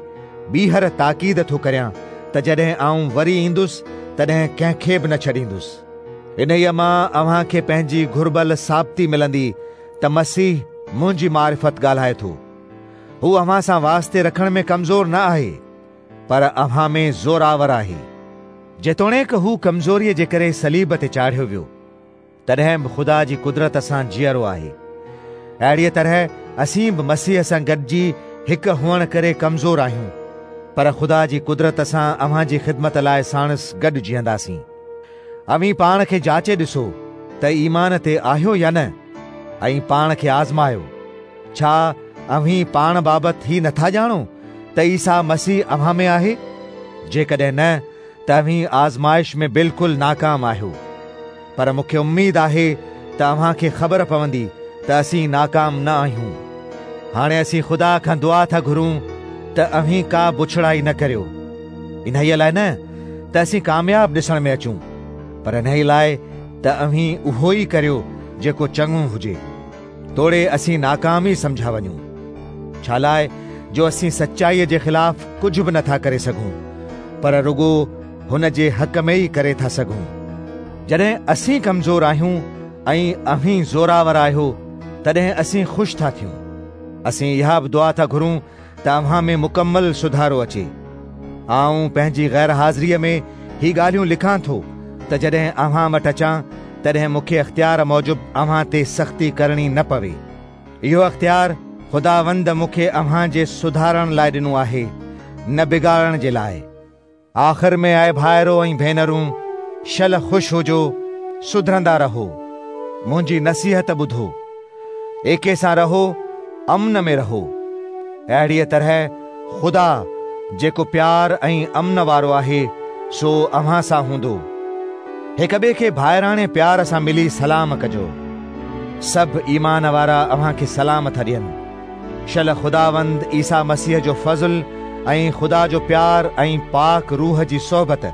ٻيهر تاڪيد ٿو ڪريان ته جڏهن آئون وري ايندس تڏهن ڪنهن کي به نه ڇڏيندس. انهيء مان اوهان کي پنهنجي گهربل ثابتي ملندي ته مسيح منهنجي معرفت ڳالهائي ٿو. هو اوهان سان واسطي رکڻ ۾ ڪمزور نه آهي، پر اوهان ۾ زورآور آهي. جيتوڻيڪ هو ڪمزوريء جي ڪري صليب تي چاڙهيو ويو، تڏهن به خدا جي قدرت سان جيئرو آهي. اهڙيء طرح اسين به مسيح سان گڏجي هڪ هئڻ ڪري ڪمزور آهيون، پر خدا جي قدرت سان اوهان جي خدمت لاء ساڻس گڏ جيئنداسين. اوهين پاڻ کي جاچي ڏسو ته ايمان تي آهيو يا نه، ۽ پاڻ کي آزمايو. ڇا اوهين پاڻ بابت هي نٿا ڄاڻو ته عيسيٰ مسيح اوهان ۾ آهي؟ جيڪڏهن نه، ته اوهين آزمائش ۾ بلڪل ناڪام آهيو. پر مون کي اميد آهي ته اوهان کي خبر پوندي ته اسين ناڪام نه آهيون. هاڻي اسين خدا کان دعا ٿا گهرون ته اوهين ڪا بڇڙائي نه ڪريو. انهيء لاء نه ته اسين ڪامياب ڏسڻ ۾ اچون، پر انهيء لاء ته اوهين اهو ئي ڪريو جيڪو چڱو هجي. توڙي اسين ناڪام ئي سمجهيا وڃون، ڇالاء جو اسين سچائيء جي خلاف ڪجهه به نٿا ڪري سگهون، پر رڳو هن جي حق ۾ ئي ڪري ٿا سگهون. جڏهن اسين ڪمزور آهيون ۽ اوهين زورآور آهيو، تڏهن اسين خوش ٿا ٿيون. اسين اها به دعا ٿا گهرون ته اوهان ۾ مڪمل سڌارو اچي. آئون پنهنجي غير حاضريء ۾ هي ڳالهيون لکان ٿو ته جڏهن اوهان وٽ اچان تڏهن مون کي اختيار موجب اوهان تي سختي ڪرڻي نه پوي. اهو اختيار خداوند مون کي اوهان جي سڌارڻ لاء ڏنو آهي، نه بگاڙڻ جي لاء. آخر ۾ اي ڀائرو ۽ ڀينرون، شل خوش هجو، سڌرندا رهو. منهنجي نصيحت ٻڌو. ايڪي سان رهو، امن ۾ رهو. اهڙيء طرح خدا، جيڪو پيار ۽ امن وارو آهي، سو اوهان سان هوندو. هڪ ٻئي کي ڀائراڻي پيار سان ملي سلام ڪجو. سڀ ايمان وارا اوهان کي سلام ٿا ڏين. شل خداوند عيسيٰ مسيح جو فضل ۽ خدا جو پيار ۽ پاڪ روح جي صحبت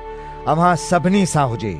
اوهان سڀني سان هجي.